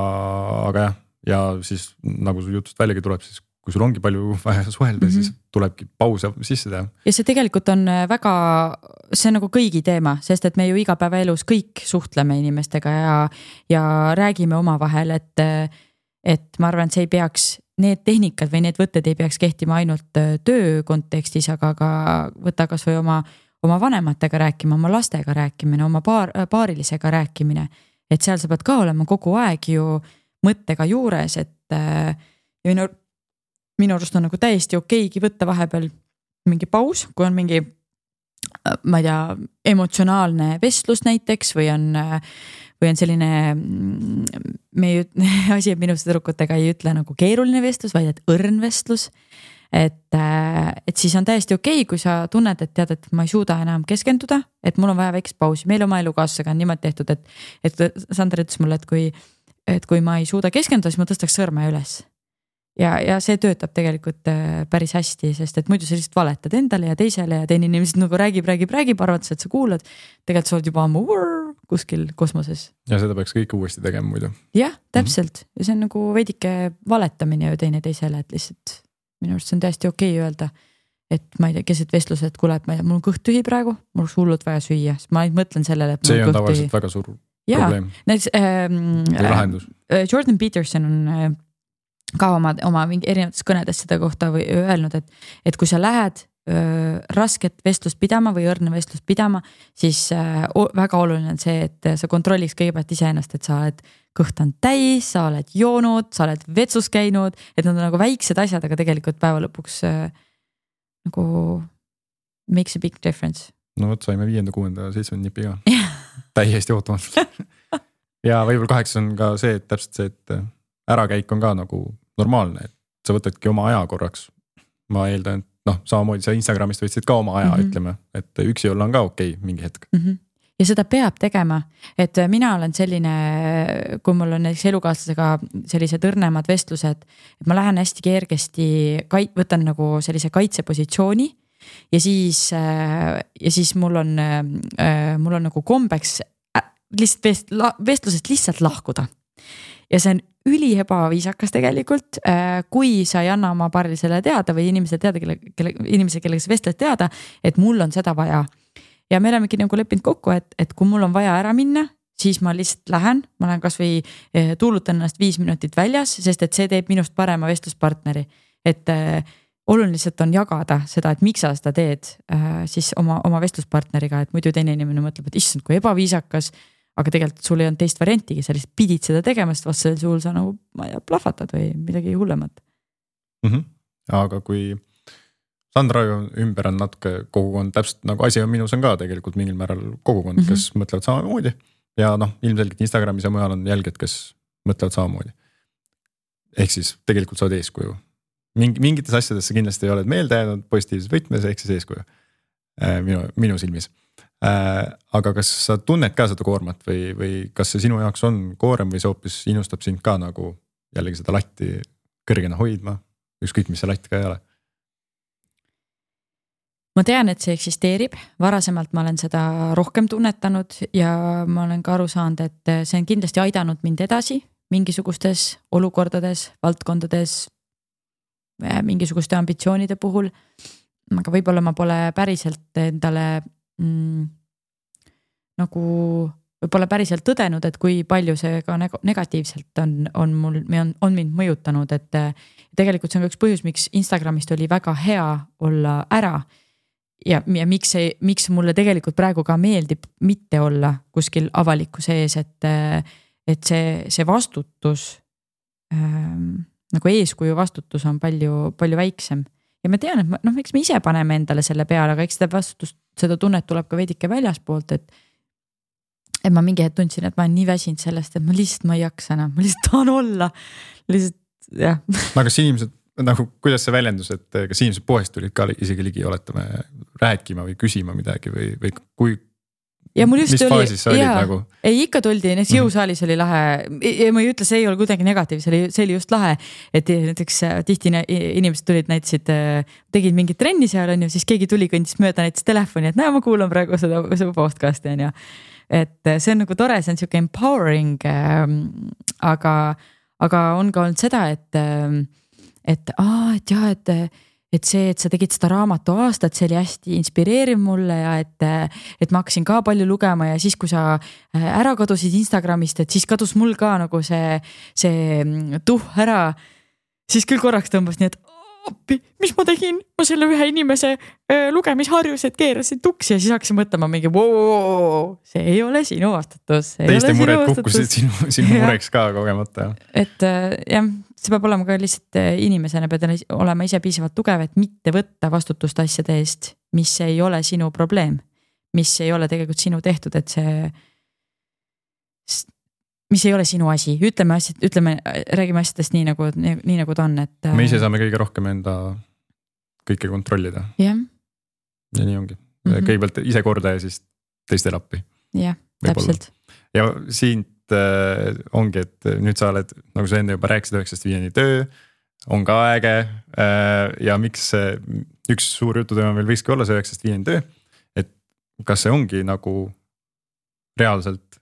jah, ja siis nagu su jutust väljagi tuleb, siis kui sul ongi palju vaja suhelda, siis tulebki pause sisse teha. Ja see tegelikult on väga, see on nagu kõigi teema, sest et me ju igapäevaelus kõik suhtleme inimestega ja räägime oma vahel, et ma arvan, et see ei peaks, need tehnikad või need võtted ei peaks kehtima ainult töö kontekstis, aga ka võtta kas või oma vanematega rääkima, oma lastega rääkimine, oma paarilisega rääkimine. Et seal sa pead ka olema kogu aeg ju mõttega juures, et minu arust on nagu täiesti okeigi võtta vahepeal mingi paus, kui on mingi, ma ei tea, emotsionaalne vestlus näiteks või on selline, asi minuste tüdrukutega ei ütle nagu keeruline vestlus, vaid et õrn vestlus. Et siis on täiesti okei, kui sa tunned, et tead, et ma ei suuda enam keskenduda, et mul on vaja väikest pausi. Meil oma elukaaslasega on niimoodi tehtud, et Sander ütles mulle, et kui ma ei suuda keskenduda, siis ma tõstaks sõrme üles. Ja see töötab tegelikult päris hästi, sest et muidu sa lihtsalt valetad endale ja teisele ja teine inimesed nagu räägib, arvates, et sa kuulad. Tegelikult sa oled juba ammu kuskil kosmoses. Ja seda peaks kõik uuesti tegema muidu. Jah, täpselt. Ja see on nagu veidike valetamine ju teine teisele, et lihtsalt minu arust see on täiesti okei öelda, et ma ei tea, keset vestluse, et kuule, et ma ei tea, mul on kõht tühi praegu, mul on hullult vaja süüa, sest ma mõtlen sellele, et see on tavaliselt väga suur probleem. Näiteks Jordan Peterson on ka oma mingi erinevates kõnedes seda kohta või öelnud, et kui sa lähed rasket vestlust pidama või õrne vestlust pidama, siis väga oluline on see, et sa kontrolliks kõigepealt iseennast, et sa oled kõht on täis, sa oled joonud, sa oled vetsus käinud, et nad on nagu väiksed asjad, aga tegelikult päeva lõpuks nagu makes a big difference. No võt, saime 5., 6., 7. nipi ka. Täiesti ootamatult. Ja võib-olla 8 on ka see, et täpselt see, et ärakäik on ka nagu normaalne, et sa võtadki oma aja korraks. Ma eeldan, et samamoodi sa Instagramist võtsid ka oma aja, ütleme, et üksi olla on ka okei mingi hetk. Ja seda peab tegema, et mina olen selline, kui mul on näiteks elukaaslasega sellised õrnemad vestlused, et ma lähen hästi kergesti, võtan nagu sellise kaitsepositsiooni ja siis mul on nagu kombeks vestlusest lihtsalt lahkuda. Ja see on üli ebaviisakas tegelikult, kui sa ei anna oma paarilisele teada või inimese, kellega sa vestled teada, et mul on seda vaja. Ja me olemegi nagu leppinud kokku, et kui mul on vaja ära minna, siis ma lihtsalt lähen kas või tuulutan ennast 5 minutit väljas, sest et see teeb minust parema vestluspartneri. Et oluliselt on jagada seda, et miks sa seda teed siis oma vestluspartneriga, et muidu teine inimene mõtleb, et issand, kui ebaviisakas, aga tegelikult sul ei olnud teist variantigi, sa lihtsalt pidid seda tegema, sest vastasel suul sa nagu, ma ei tea, plahvatad või midagi hullemat. Aga kui Sandra ümber on natuke kogukond, täpselt nagu asi on minus on ka tegelikult mingil määral kogukond, kes mõtlevad samamoodi ja ilmselgelt Instagramis ja mujal on jälged, kes mõtlevad samamoodi. Ehk siis tegelikult sa oled eeskuju. Mingites asjades sa kindlasti ei oled meelde jäänud positiivses võtmes, ehk siis eeskuju minu silmis. Aga kas sa tunned ka seda koormat või kas see sinu jaoks on koorem või see hoopis innustab sind ka nagu jällegi seda latti kõrgena hoidma, ükskõik mis see latt ka ei ole? Ma tean, et see eksisteerib, varasemalt ma olen seda rohkem tunnetanud ja ma olen ka aru saanud, et see on kindlasti aidanud mind edasi mingisugustes olukordades, valdkondades, mingisuguste ambitsioonide puhul. Aga võib-olla ma pole päriselt endale nagu võib-olla päriselt tõdenud, et kui palju see ka negatiivselt on mind mõjutanud, et tegelikult see on üks põhjus, miks Instagramist oli väga hea olla ära. Ja miks mulle tegelikult praegu ka meeldib mitte olla kuskil avalikkuse ees, et see vastutus, nagu eeskuju vastutus on palju väiksem. Ja ma tean, et miks me ise paneme endale selle peale, aga eks seda tunnet tuleb ka veidike väljaspoolt, et ma mingi hetk tundsin, et ma olen nii väsinud sellest, et ma lihtsalt ei jaksa enam, ma lihtsalt tahan olla. Lihtsalt jah. aga kas inimesed nagu, kuidas see väljendus, et kas inimesed poest tulid ka isegi ligi, oletame, rääkima või küsima midagi või kui ja mul just mis faasis sa olid nagu? Ei, ikka tuldi, näiteks jõusaalis oli lahe ja ma ei ütle, see ei ole kuidagi negatiiv, see oli just lahe, et näiteks tihti inimesed tulid, näitasid, tegid mingit trenni seal on ju, siis keegi tuli, kõndis mööda näiteks telefoni, et näe, ma kuulan praegu seda podcast'i on ju. Et see on nagu tore, see on siuke empowering, aga on ka olnud seda, et see, et sa tegid seda raamatu aastat, see oli hästi inspireeriv mulle ja et ma hakkasin ka palju lugema ja siis, kui sa ära kadusid Instagramist, et siis kadus mul ka nagu see ära, siis küll korraks tõmbas nii, et appi, mis ma tegin? Ma selle ühe inimese lugemisharjused keerasin tuksi ja siis hakkasin mõtlema mingi, see ei ole sinu vastutus. Teiste mured kukkusid sinu mureks ka kogemata. Et jah, see peab olema ka lihtsalt inimesena, pead olema ise piisavalt tugev, et mitte võtta vastutust asjade eest, mis ei ole sinu probleem, mis ei ole tegelikult sinu tehtud, et see, mis ei ole sinu asi, räägime asjadest nii nagu ta on, et me ise saame kõige rohkem enda kõike kontrollida. Yeah. Ja nii ongi. Kõigepealt ise korda ja siis teistel appi. Jah, täpselt. Ja siin ongi, et nüüd sa oled, nagu sa enne juba rääkisid, 9-5 töö, on ka äge ja miks üks suur jututeema meil võikski olla see 9-5 töö, et kas see ongi nagu reaalselt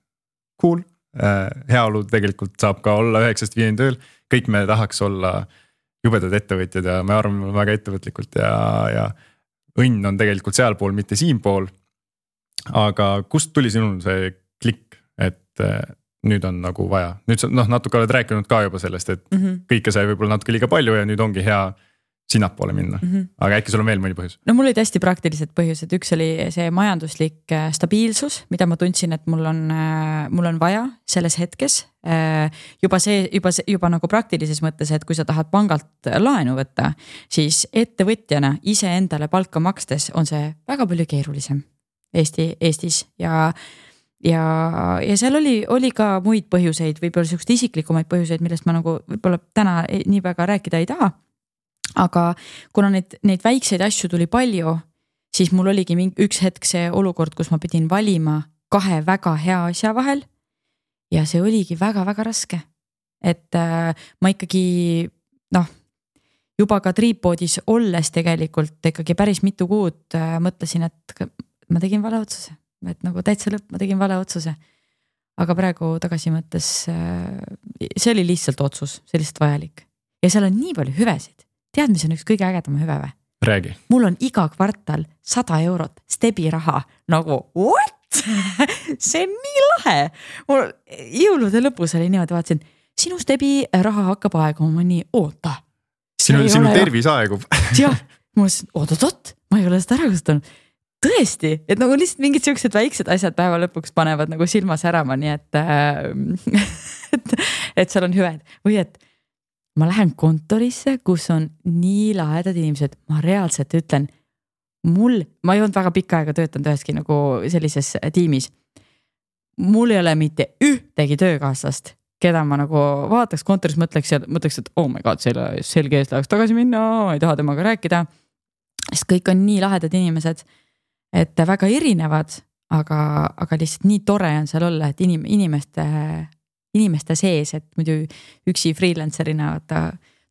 cool, heaolu tegelikult saab ka olla 9-5 tööl, kõik me tahaks olla jubedad ettevõtjad ja me arvame väga ettevõtlikult ja õnn on tegelikult sealpool, mitte siinpool, aga kust tuli sinul see klikk, et nüüd on nagu vaja. Nüüd sa natuke oled rääkinud ka juba sellest, et kõike sai võib-olla natuke liiga palju ja nüüd ongi hea sinnapoole minna. Aga äkki sul on veel mõni põhjus? No mul olid hästi praktilised põhjused. Üks oli see majanduslik stabiilsus, mida ma tundsin, et mul on vaja selles hetkes. Juba nagu praktilises mõttes, et kui sa tahad pangalt laenu võtta, siis ettevõtjana ise endale palka makstes on see väga palju keerulisem Eestis ja seal oli ka muid põhjuseid, võib-olla sellised isiklikumaid põhjuseid, millest ma nagu võib-olla täna nii väga rääkida ei taha. Aga kuna neid väikseid asju tuli palju, siis mul oligi üks hetk see olukord, kus ma pidin valima 2 väga hea asja vahel ja see oligi väga-väga raske. Et ma ikkagi juba ka triippoodis olles tegelikult ikkagi päris mitu kuud mõtlesin, et ma tegin vale otsuse. Et nagu täitsa lõpp, ma tegin vale otsuse. Aga praegu tagasi mõttes, see oli lihtsalt otsus, see lihtsalt vajalik. Ja seal on nii palju hüvesid. Tead, mis on üks kõige ägedama hüve või? Räägi. Mul on iga kvartal 100 eurot Stebi raha. Nagu, what? See on nii lahe. Mul jõulude lõpus oli niimoodi, vaatasin, sinu Stebi raha hakkab aeguma, nii oota. Sinu tervis aegub. Jah, ma oot, ma ei ole seda ära kasutanud. Tõesti, et nagu lihtsalt mingid siuksed väiksed asjad päeva lõpuks panevad nagu silma särama, nii et seal on hüved. Või et ma lähen kontorisse, kus on nii lahedad inimesed, ma reaalselt ütlen, ma ei olnud väga pikka aega töötanud üheski nagu sellises tiimis. Mul ei ole mitte ühtegi töökaaslast, keda ma nagu vaataks kontoris, mõtleks, et oh my god, selge ees läheks tagasi minna, ma ei taha temaga rääkida. Sest kõik on nii lahedad inimesed, et väga erinevad, aga lihtsalt nii tore on seal olla, et inimeste sees, et muidu üksi freelancerina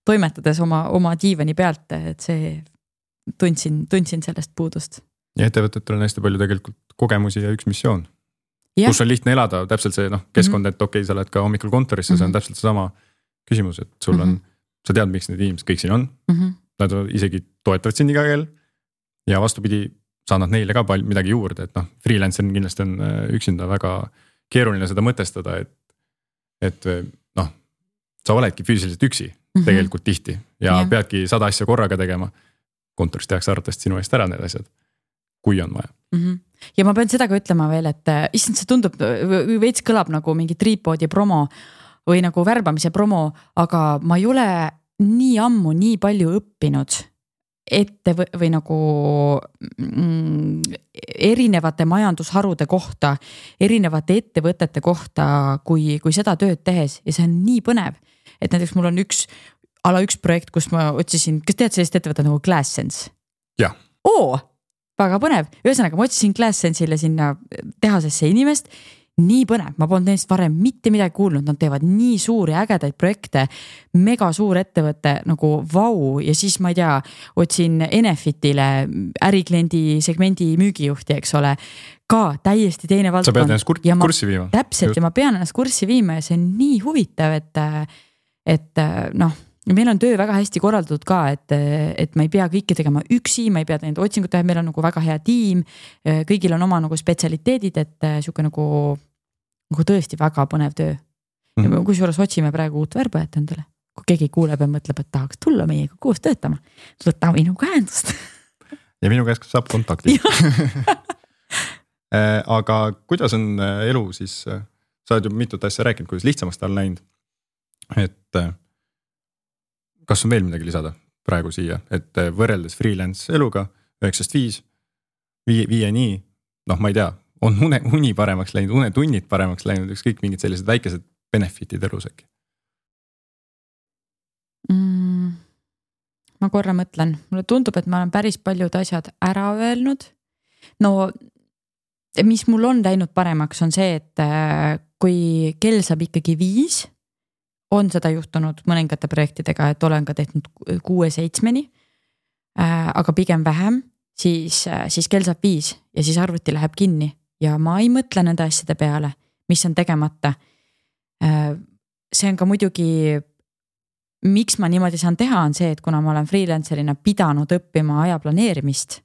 toimetades oma diivani pealt, et see tundsin sellest puudust. Ja ettevõtetel on hästi palju tegelikult kogemusi ja üks missioon, kus on lihtne elada, täpselt see keskkond, et okei, sa oled ka hommikul kontorisse, see on täpselt sama küsimus, et sul on, sa tead, miks need inimesed kõik siin on, nad isegi toetavad sind iga kell ja vastupidi, saad nad neile ka midagi juurde, et freelancer kindlasti on üksinda väga keeruline seda mõtestada, et sa oledki füüsiliselt üksi tegelikult tihti ja peadki 100 asja korraga tegema. Kontoris tehakse arvatavasti sinu eest ära need asjad, kui on vaja. Ja ma pean seda ka ütlema veel, et issand, see tundub, veits kõlab nagu mingi triippoodi promo või nagu värbamise promo, aga ma ei ole nii ammu nii palju õppinud või nagu erinevate majandusharude kohta, erinevate ettevõtete kohta, kui seda tööd tehes ja see on nii põnev, et näiteks mul on üks ala üks projekt, kus ma otsisin, kas tead sellist ettevõtet nagu GlassSense? Jah. Väga põnev. Ühesõnaga ma otsisin GlassSense'ile sinna tehasesse inimest. Nii põnev, ma polnud neist varem mitte midagi kuulnud, nad teevad nii suuri ägedaid projekte, mega suur ettevõte nagu vau ja siis ma ei tea, otsin Enefitile ärikliendi segmendi müügijuhti, eks ole, ka täiesti teine valdkond. Sa pead ennast kurssi viima. Täpselt ja ma pean ennast kurssi viima ja see on nii huvitav, et noh, meil on töö väga hästi korraldatud ka, et ma ei pea kõike tegema üksi, ma ei pea neid otsingut teha, meil on nagu väga hea tiim, kõigil on oma nagu spetsialiteedid, et siuke nagu tõesti väga põnev töö. Kui suures otsime praegu uut värbajat endale, kui keegi kuuleb ja mõtleb, et tahaks tulla meiega koos töötama, võta minuga ühendust. Ja minu käest saab kontakti. Aga kuidas on elu siis, sa oled ju mitut asja rääkinud, kuidas lihtsamaks ta on läinud, et kas on veel midagi lisada praegu siia, et võrreldes freelance eluga 9-5, 5-nii, noh ma ei tea, on uni paremaks läinud, unetunnid paremaks läinud, ükskõik mingid sellised väikesed benefitid elus äkki? Ma korra mõtlen, mulle tundub, et ma olen päris paljud asjad ära öelnud. No, mis mul on läinud paremaks on see, et kui kell saab ikkagi 5, on seda juhtunud mõningate projektidega, et olen ka tehtud 6-7-ni, aga pigem vähem, siis kell saab 5 ja siis arvuti läheb kinni ja ma ei mõtle nende asjade peale, mis on tegemata. See on ka muidugi, miks ma niimoodi saan teha, on see, et kuna ma olen freelancerina pidanud õppima aja planeerimist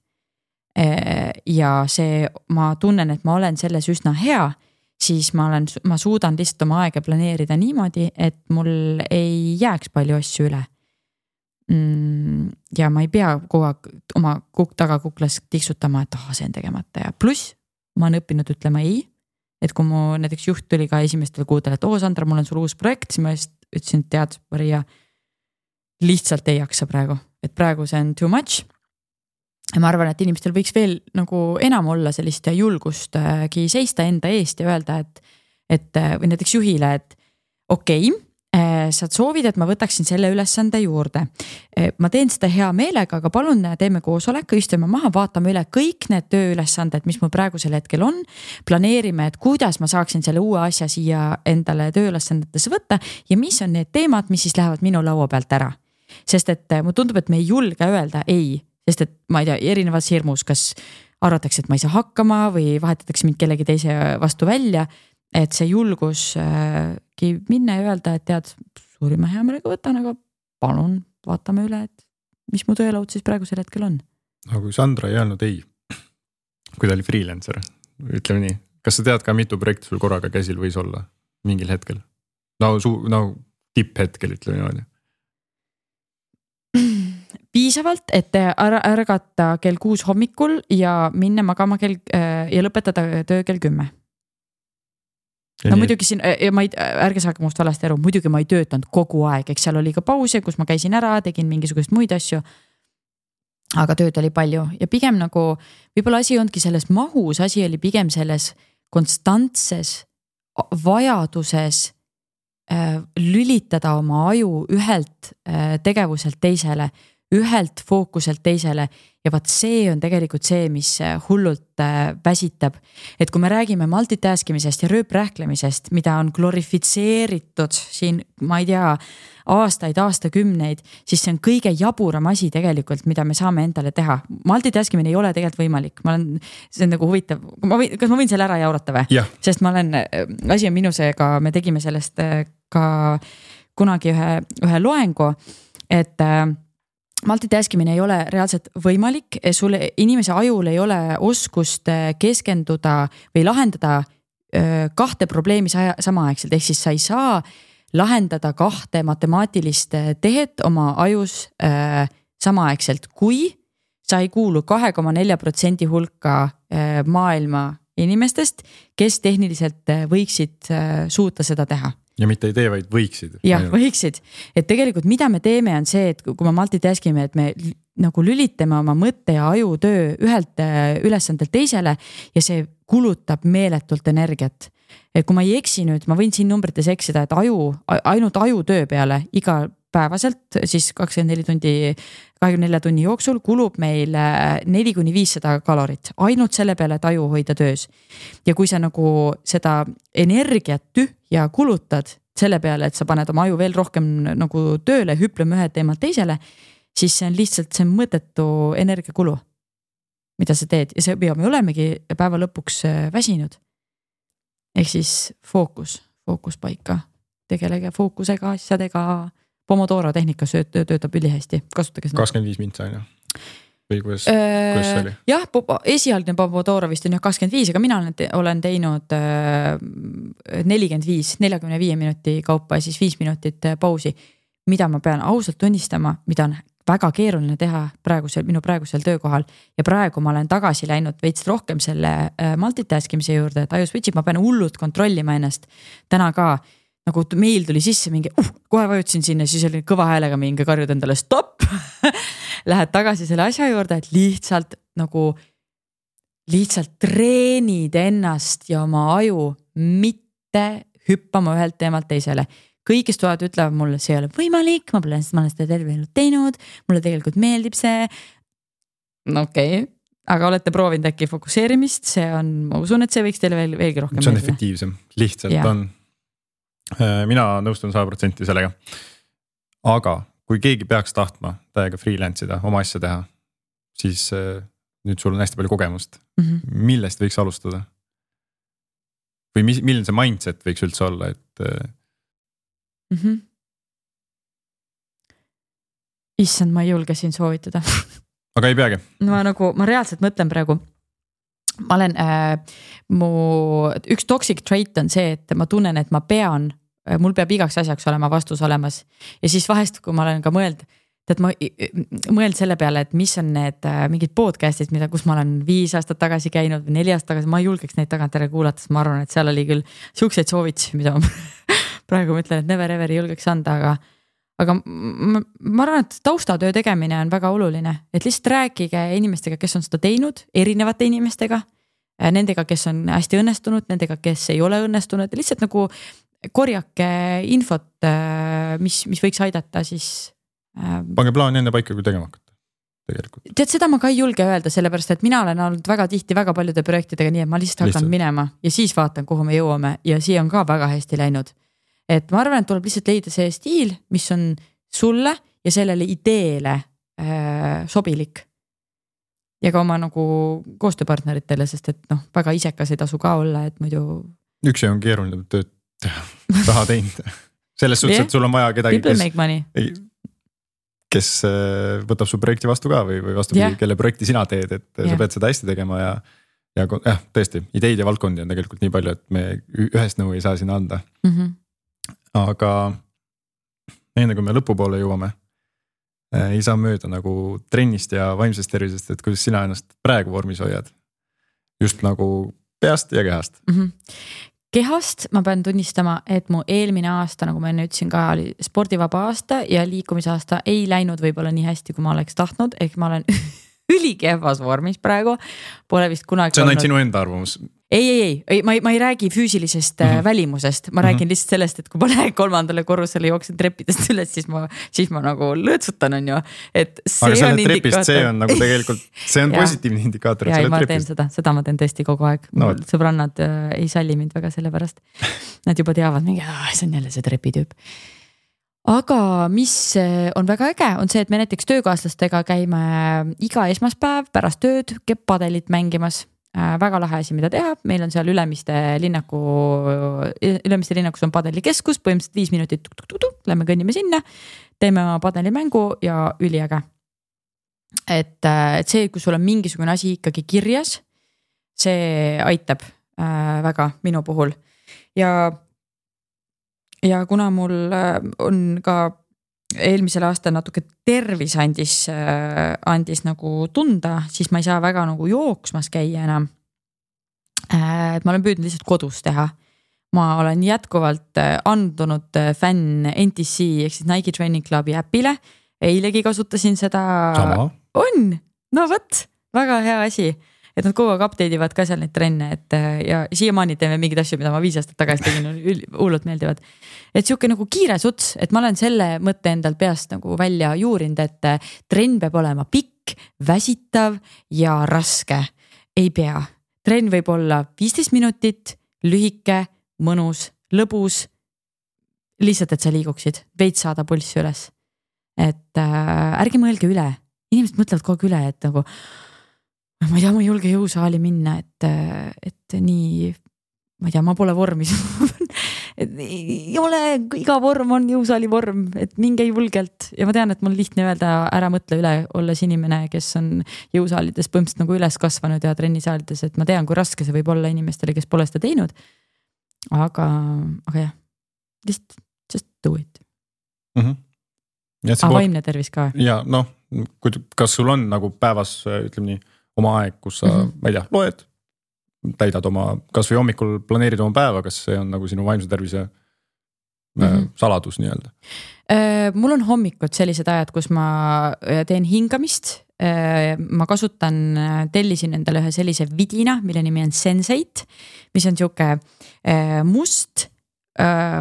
ja see, ma tunnen, et ma olen selles üsna hea, siis ma suudan lihtsalt oma aega planeerida niimoodi, et mul ei jääks palju asju üle. Ja ma ei pea kogu aeg oma tagakuklas tiksutama, et see on tegemata ja pluss ma olen õppinud ütlema ei, et kui mu näiteks juht tuli ka esimestel kuudel, et Sandra, mul on sul uus projekt, siis ma ütlesin, et tead, Maria, lihtsalt ei jaksa praegu, et praegu see on too much. Ja ma arvan, et inimestel võiks veel nagu enam olla sellist julgustki seista enda eest ja öelda, et või näiteks juhile, et okei, sa soovid, et ma võtaksin selle ülesande juurde. Ma teen seda hea meelega, aga palun teeme koosoleku, istume maha, vaatame üle kõik need tööülesanded, mis mul praegusel hetkel on. Planeerime, et kuidas ma saaksin selle uue asja siia endale tööülesandetesse võtta ja mis on need teemad, mis siis lähevad minu laua pealt ära. Sest et mulle tundub, et me ei julge öelda ei, sest et ma ei tea, erinevas hirmus, kas arvatakse, et ma ei saa hakkama või vahetatakse mind kellegi teise vastu välja, et see julgus minna ja öelda, et tead, suurima hea meelega võtan, aga palun vaatame üle, et mis mu töölaud siis praegusel hetkel on. No kui Sandra ei öelnud ei, kui ta oli freelancer, ütleme nii, kas sa tead ka mitu projekti sul korraga käsil võis olla mingil hetkel? No tipphetkel ütleme niimoodi. Piisavalt, et ärgata kell 6 hommikul ja minna magama ja lõpetada töö kell 10. No muidugi siin, ärge saage must valesti aru, muidugi ma ei töötanud kogu aeg, eks seal oli ka pause, kus ma käisin ära, tegin mingisugust muid asju, aga tööd oli palju ja pigem nagu, võib-olla asi ondki selles mahus, asi oli pigem selles konstantses vajaduses lülitada oma aju ühelt tegevuselt teisele, ühelt fookuselt teisele ja vaat see on tegelikult see, mis hullult väsitab. Et kui me räägime multitaskimisest ja rööprähklemisest, mida on glorifitseeritud siin, ma ei tea, aastakümneid, siis see on kõige jaburam asi tegelikult, mida me saame endale teha. Multitaskimine ei ole tegelikult võimalik. See on nagu huvitav. Kas ma võin selle ära jaurata või? Ja. Sest asi on minusega, me tegime sellest ka kunagi ühe loengu, et multitaskimine ei ole reaalselt võimalik, inimese ajul ei ole oskust keskenduda või lahendada 2 probleemi samaaegselt, ehk siis sa ei saa lahendada 2 matemaatilist tehet oma ajus samaaegselt, kui sa ei kuulu 2,4% hulka maailma inimestest, kes tehniliselt võiksid suuta seda teha. Ja mitte ei tee, vaid võiksid. Jah, võiksid. Et tegelikult mida me teeme on see, et kui me multitaskime, et me nagu lülitame oma mõtte ja ajutöö ühelt ülesandelt teisele ja see kulutab meeletult energiat. Et kui ma ei eksi nüüd, ma võin siin numbrites eksida, et ainult ajutöö peale iga päevaselt, siis 24 tunni jooksul kulub meil 400–500 kalorit ainult selle peale, et aju hoida töös. Ja kui sa nagu seda energiat tühja kulutad selle peale, et sa paned oma aju veel rohkem nagu tööle, hüpleme ühe teemalt teisele, siis see on lihtsalt see mõttetu energiakulu, mida sa teed ja see me olemegi päeva lõpuks väsinud. Ehk siis fookus paika, tegelege fookusega, asjadega, Pomodoro tehnika töötab ülihästi, kasutage seda. 25 mintsa on ju? Või kuidas see oli? Jah, esialgne Pomodoro vist on 25, aga mina olen teinud 45 minuti kaupa ja siis 5 minutit pausi, mida ma pean ausalt tunnistama, mida on väga keeruline teha minu praegusel töökohal ja praegu ma olen tagasi läinud veits rohkem selle multitaskimise juurde, et aju switch'ib, ma pean hullult kontrollima ennast. Täna ka nagu meil tuli sisse mingi, kohe vajutasin sinna, siis oli kõva häälega mingi karjud endale stopp. Lähed tagasi selle asja juurde, et lihtsalt treenid ennast ja oma aju mitte hüppama ühelt teemalt teisele. Kõigist toad ütlevad mulle, see ei ole võimalik, ma olen seda terve elu teinud, mulle tegelikult meeldib see. No okei, aga olete proovinud äkki fokuseerimist, see on, ma usun, et see võiks teile veelgi rohkem see on efektiivsem, lihtsalt on. Mina nõustun 100% sellega. Aga kui keegi peaks tahtma täiega freelance'ida, oma asja teha, siis nüüd sul on hästi palju kogemust. Millest võiks alustada? Või milline see mindset võiks üldse olla, et Issand, ma ei julge siin soovitada. Aga ei peagi. Ma reaalselt mõtlen praegu. Ma olen, mu üks toxic trait on see, et ma tunnen, et mul peab igaks asjaks olema vastus olemas. Ja siis vahest, kui ma olen ka mõeld selle peale, et mis on need mingid podcastid, kus ma olen 5 aastat tagasi käinud või 4 aastat tagasi, ma ei julgeks neid tagantjärele kuulates, ma arvan, et seal oli küll siukseid soovitusi, mida ma praegu mõtlen, et never ever ei julgeks anda, aga ma arvan, et taustatöö tegemine on väga oluline, et lihtsalt rääkige inimestega, kes on seda teinud, erinevate inimestega, nendega, kes on hästi õnnestunud, nendega, kes ei ole õnnestunud, lihtsalt nagu korjake infot, mis võiks aidata siis. Pange plaan enne paika, kui tegema hakata. Tegelikult. Tead, seda ma ka ei julge öelda, sellepärast, et mina olen olnud väga tihti väga paljude projektidega nii, et ma lihtsalt hakkan minema ja siis vaatan, kuhu me jõuame ja siia on ka väga hästi läinud. Et ma arvan, et tuleb lihtsalt leida see stiil, mis on sulle ja sellele ideele sobilik. Ja ka oma nagu koostööpartneritele, sest et väga isekas ei tasu ka olla, et muidu. Üks on keeruline tööd raha teinud. Selles suhtes, et sul on vaja kedagi, kes võtab su projekti vastu ka või vastupidi, kelle projekti sina teed, et sa pead seda hästi tegema ja tõesti, ideid ja valdkondi on tegelikult nii palju, et me ühest nõu ei saa sinna anda. Aga enne kui me lõpupoole jõuame, ei saa mööda nagu trennist ja vaimsest tervisest, et kuidas sina ennast praegu vormis hoiad. Just nagu peast ja kehast. Kehast ma pean tunnistama, et mu eelmine aasta, nagu ma enne ütlesin ka, oli spordivaba aasta ja liikumisaasta ei läinud võib-olla nii hästi, kui ma oleks tahtnud, ehk ma olen ülikehvas vormis praegu. Pole vist kunagi see on ainult sinu enda arvamus. Ei, ma ei räägi füüsilisest välimusest, ma räägin lihtsalt sellest, et kui ma lähen 3. korrusele jooksen treppidest üles, siis ma nagu lõõtsutan on ju, et see aga on indikaator. See on nagu tegelikult, see on positiivne indikaator. Ja ma teen seda ma teen tõesti kogu aeg. Sõbrannad ei salli mind väga selle pärast. Nad juba teavad, see on jälle see trepitüüp. Aga mis on väga äge, on see, et me näiteks töökaaslastega käime iga esmaspäev pärast tööd padelit mängimas. Väga lahe asi, mida teha. Meil on seal Ülemiste linnakus on padelikeskus, põhimõtteliselt 5 minutit lähme kõnnime sinna, teeme oma padelimängu ja üliäge. Et see, kui sul on mingisugune asi ikkagi kirjas, see aitab väga minu puhul. Ja kuna mul on ka eelmisel aastal natuke tervis andis nagu tunda, siis ma ei saa väga nagu jooksmas käia enam. Et ma olen püüdnud lihtsalt kodus teha. Ma olen jätkuvalt andunud fänn NTC ehk siis Nike Training Clubi äpile. Eilegi kasutasin seda. Sama. On, no võt, väga hea asi. et nad kogu aeg update ivad ka seal neid trenne, et ja siiamaani teeme mingeid asju, mida ma 5 aastat tagasi tegin, hullult meeldivad. Et siuke nagu kiire suts, et ma olen selle mõtte endal peast nagu välja juurinud, et trenn peab olema pikk, väsitav ja raske. Ei pea. Trenn võib olla 15 minutit, lühike, mõnus, lõbus. Lihtsalt, et sa liiguksid, veits saada pulssi üles. Et ärge mõelge üle. Inimesed mõtlevad kogu üle, et nagu ma ei tea, ma ei julge jõusaali minna, et nii, ma ei tea, ma pole vormis. Ei ole, iga vorm on jõusaali vorm, et minge julgelt. Ja ma tean, et mul lihtne öelda, ära mõtle üle, olles inimene, kes on jõusaalides põhimõtteliselt nagu üles kasvanud ja trennisaalides, et ma tean, kui raske see võib olla inimestele, kes pole seda teinud. Aga jah, just do it. Vaimne tervis ka. Ja noh, kas sul on nagu päevas, ütleme nii, oma aeg, kus sa, ma ei tea, loed, täidad oma, kas või hommikul planeerid oma päeva, kas see on nagu sinu vaimse tervise saladus nii-öelda? Mul on hommikud sellised ajad, kus ma teen hingamist. Ma tellisin endale ühe sellise vidina, mille nimi on Sensate, mis on siuke must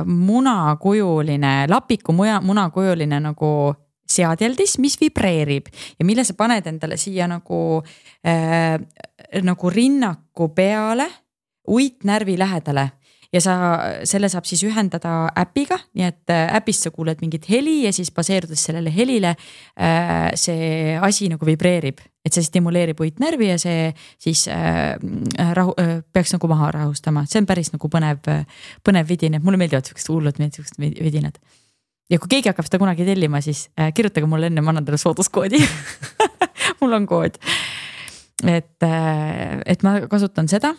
munakujuline, lapiku munakujuline nagu seadeldis, mis vibreerib ja mille sa paned endale siia nagu rinnaku peale, uitnärvi lähedale ja selle saab siis ühendada äpiga, nii et äpist sa kuuled mingit heli ja siis baseerudes sellele helile see asi nagu vibreerib, et see stimuleerib uitnärvi ja see siis peaks nagu maha rahustama. See on päris nagu põnev vidin, et mulle meeldivad sellised hullud vidinad. Ja kui keegi hakkab seda kunagi tellima, siis kirjutage mulle enne, ma annan teile sooduskoodi. Mul on kood. Et ma kasutan seda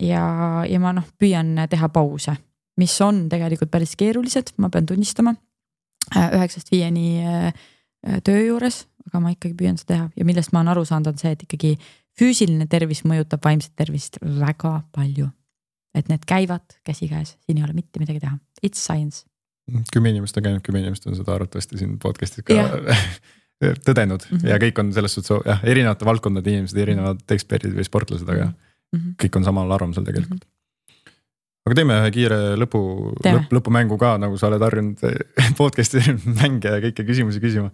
ja ma püüan teha pause, mis on tegelikult päris keerulised, ma pean tunnistama 9-5 töö juures, aga ma ikkagi püüan seda teha ja millest ma olen aru saanud on see, et ikkagi füüsiline tervis mõjutab vaimset tervist väga palju. Et need käivad käsikäes, siin ei ole mitte midagi teha. It's science. 10 inimest on käinud, 10 inimest on seda arvatavasti siin podcastis ka tõdenud ja kõik on selles suhtes erinevate valdkondade inimesed, erinevad eksperdid või sportlased, aga kõik on samal arvamusel tegelikult. Aga teeme ühe kiire lõpumängu ka, nagu sa oled harjunud podcasti mänge ja kõike küsimusi küsima.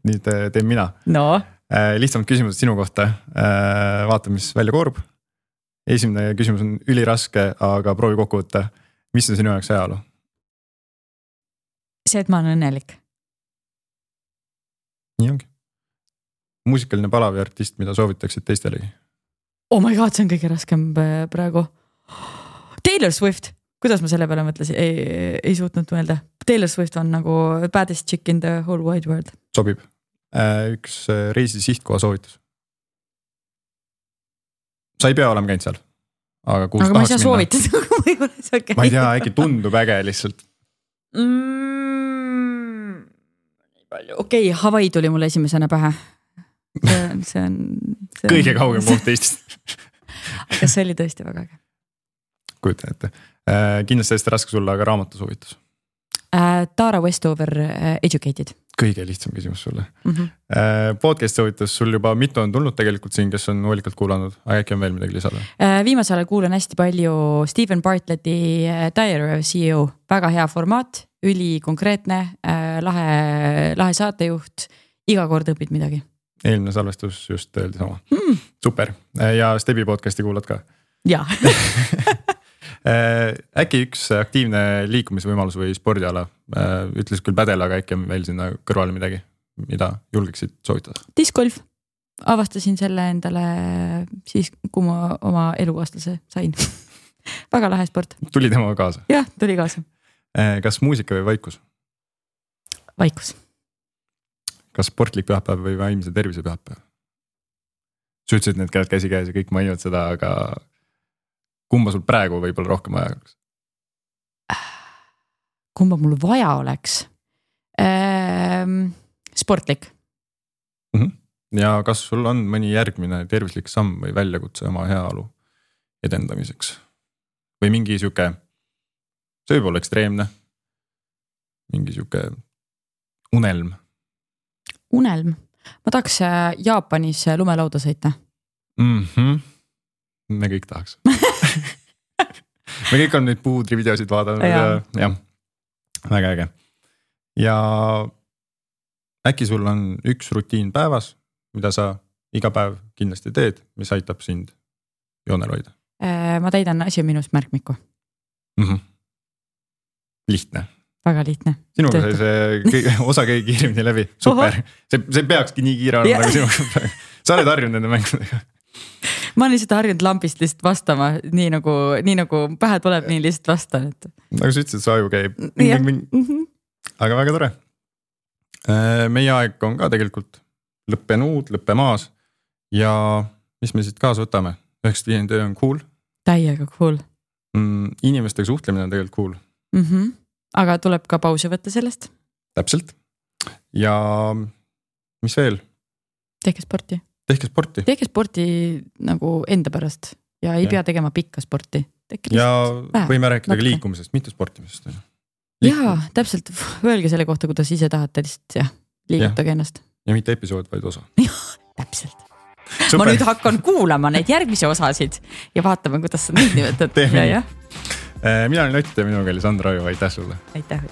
Nüüd teen mina. No. Lihtsamad küsimused sinu kohta. Vaatame, mis välja koorub. Esimene küsimus on üliraske, aga proovi kokku võtta. Mis on sinu jaoks ajalu? See, et ma olen õnnelik. Nii ongi. Muusikaline pala või artist, mida soovitaksid teistelegi? Oh my god, see on kõige raskem praegu. Taylor Swift. Kuidas ma selle peale mõtlesin? Ei suutnud mõelda. Taylor Swift on nagu baddest chick in the whole wide world. Sobib. Üks reisi sihtkoha soovitus. Sa ei pea olema käinud seal. Aga ma ei saa soovitada. Ma ei tea, äkki tundub äge lihtsalt. Okei, Hawaii tuli mulle esimesena pähe. See on kõige kaugem koht Eestist. Aga see oli tõesti väga äge. Kujutan ette. Kindlasti hästi raske sulle, aga raamatu soovitus. Tara Westover, Educated. Kõige lihtsam küsimus sulle. Podcast soovitus sul juba mitu on tulnud tegelikult siin, kes on hoolikalt kuulanud, aga äkki on veel midagi lisada? Viimasel ajal kuulan hästi palju Stephen Bartletti Diary of CEO. Väga hea formaat, üli konkreetne, lahe saatejuht, iga kord õpid midagi. Eelmine salvestus just öeldi sama. Super. Ja Stebi podcasti kuulad ka? Jaa. Äkki üks aktiivne liikumisvõimalus või spordiala, ütles küll pädel, aga äkki on veel sinna kõrvale midagi, mida julgeksid soovitada? Discgolf. Avastasin selle endale siis, kui ma oma elukaaslase sain. Väga lahe sport. Tuli tema kaasa? Jah, tuli kaasa. Kas muusika või vaikus? Vaikus. Kas sportlik pühapäev või vaimse tervise pühapäev? Sa ütlesid, et need käivad käsikäes ja kõik mainivad seda, aga kumba sul praegu võib-olla rohkem vaja oleks? Kumba mul vaja oleks? Sportlik. Ja kas sul on mõni järgmine tervislik samm või väljakutse oma heaolu edendamiseks? Või mingi siuke, see võib olla ekstreemne, mingi siuke unelm? Unelm? Ma tahaks Jaapanis lumelauda sõita. me kõik tahaks me kõik on neid puudri videosid vaadanud ja jah, väga äge. Ja äkki sul on üks rutiin päevas, mida sa iga päev kindlasti teed, mis aitab sind joonel hoida? Ma täidan asi on minust märkmiku. Lihtne. Väga lihtne. Sinuga sai see osa kõige kiiremini läbi. Super. See peakski nii kiire olema nagu sinuga. Sa oled harjunud nende mängudega. Ma olen lihtsalt harjunud lambist lihtsalt vastama, nii nagu pähe tuleb, nii lihtsalt vastan. Nagu sa ütlesid, sa aju käib. Aga väga tore. Meie aeg on ka tegelikult lõppemaas ja mis me siit kaasa võtame? 95 töö on cool. Täiega cool. Inimestega suhtlemine on tegelikult cool. Aga tuleb ka pause võtta sellest. Täpselt. Ja mis veel? Tehke sporti. Tehke sporti nagu enda pärast ja ei pea tegema pikka sporti. Ja võime rääkida ka liikumisest, mitte sportimisest. Jaa, täpselt. Öelge selle kohta, kuidas ise tahate lihtsalt liigutage ennast. Ja mitte episood, vaid osa. Täpselt. Super. Ma nüüd hakkan kuulama neid järgmisi osasid ja vaatame, kuidas sa neid nimetad. Mina olen Ott ja minuga oli Sandra Aju, aitäh sulle. Aitäh.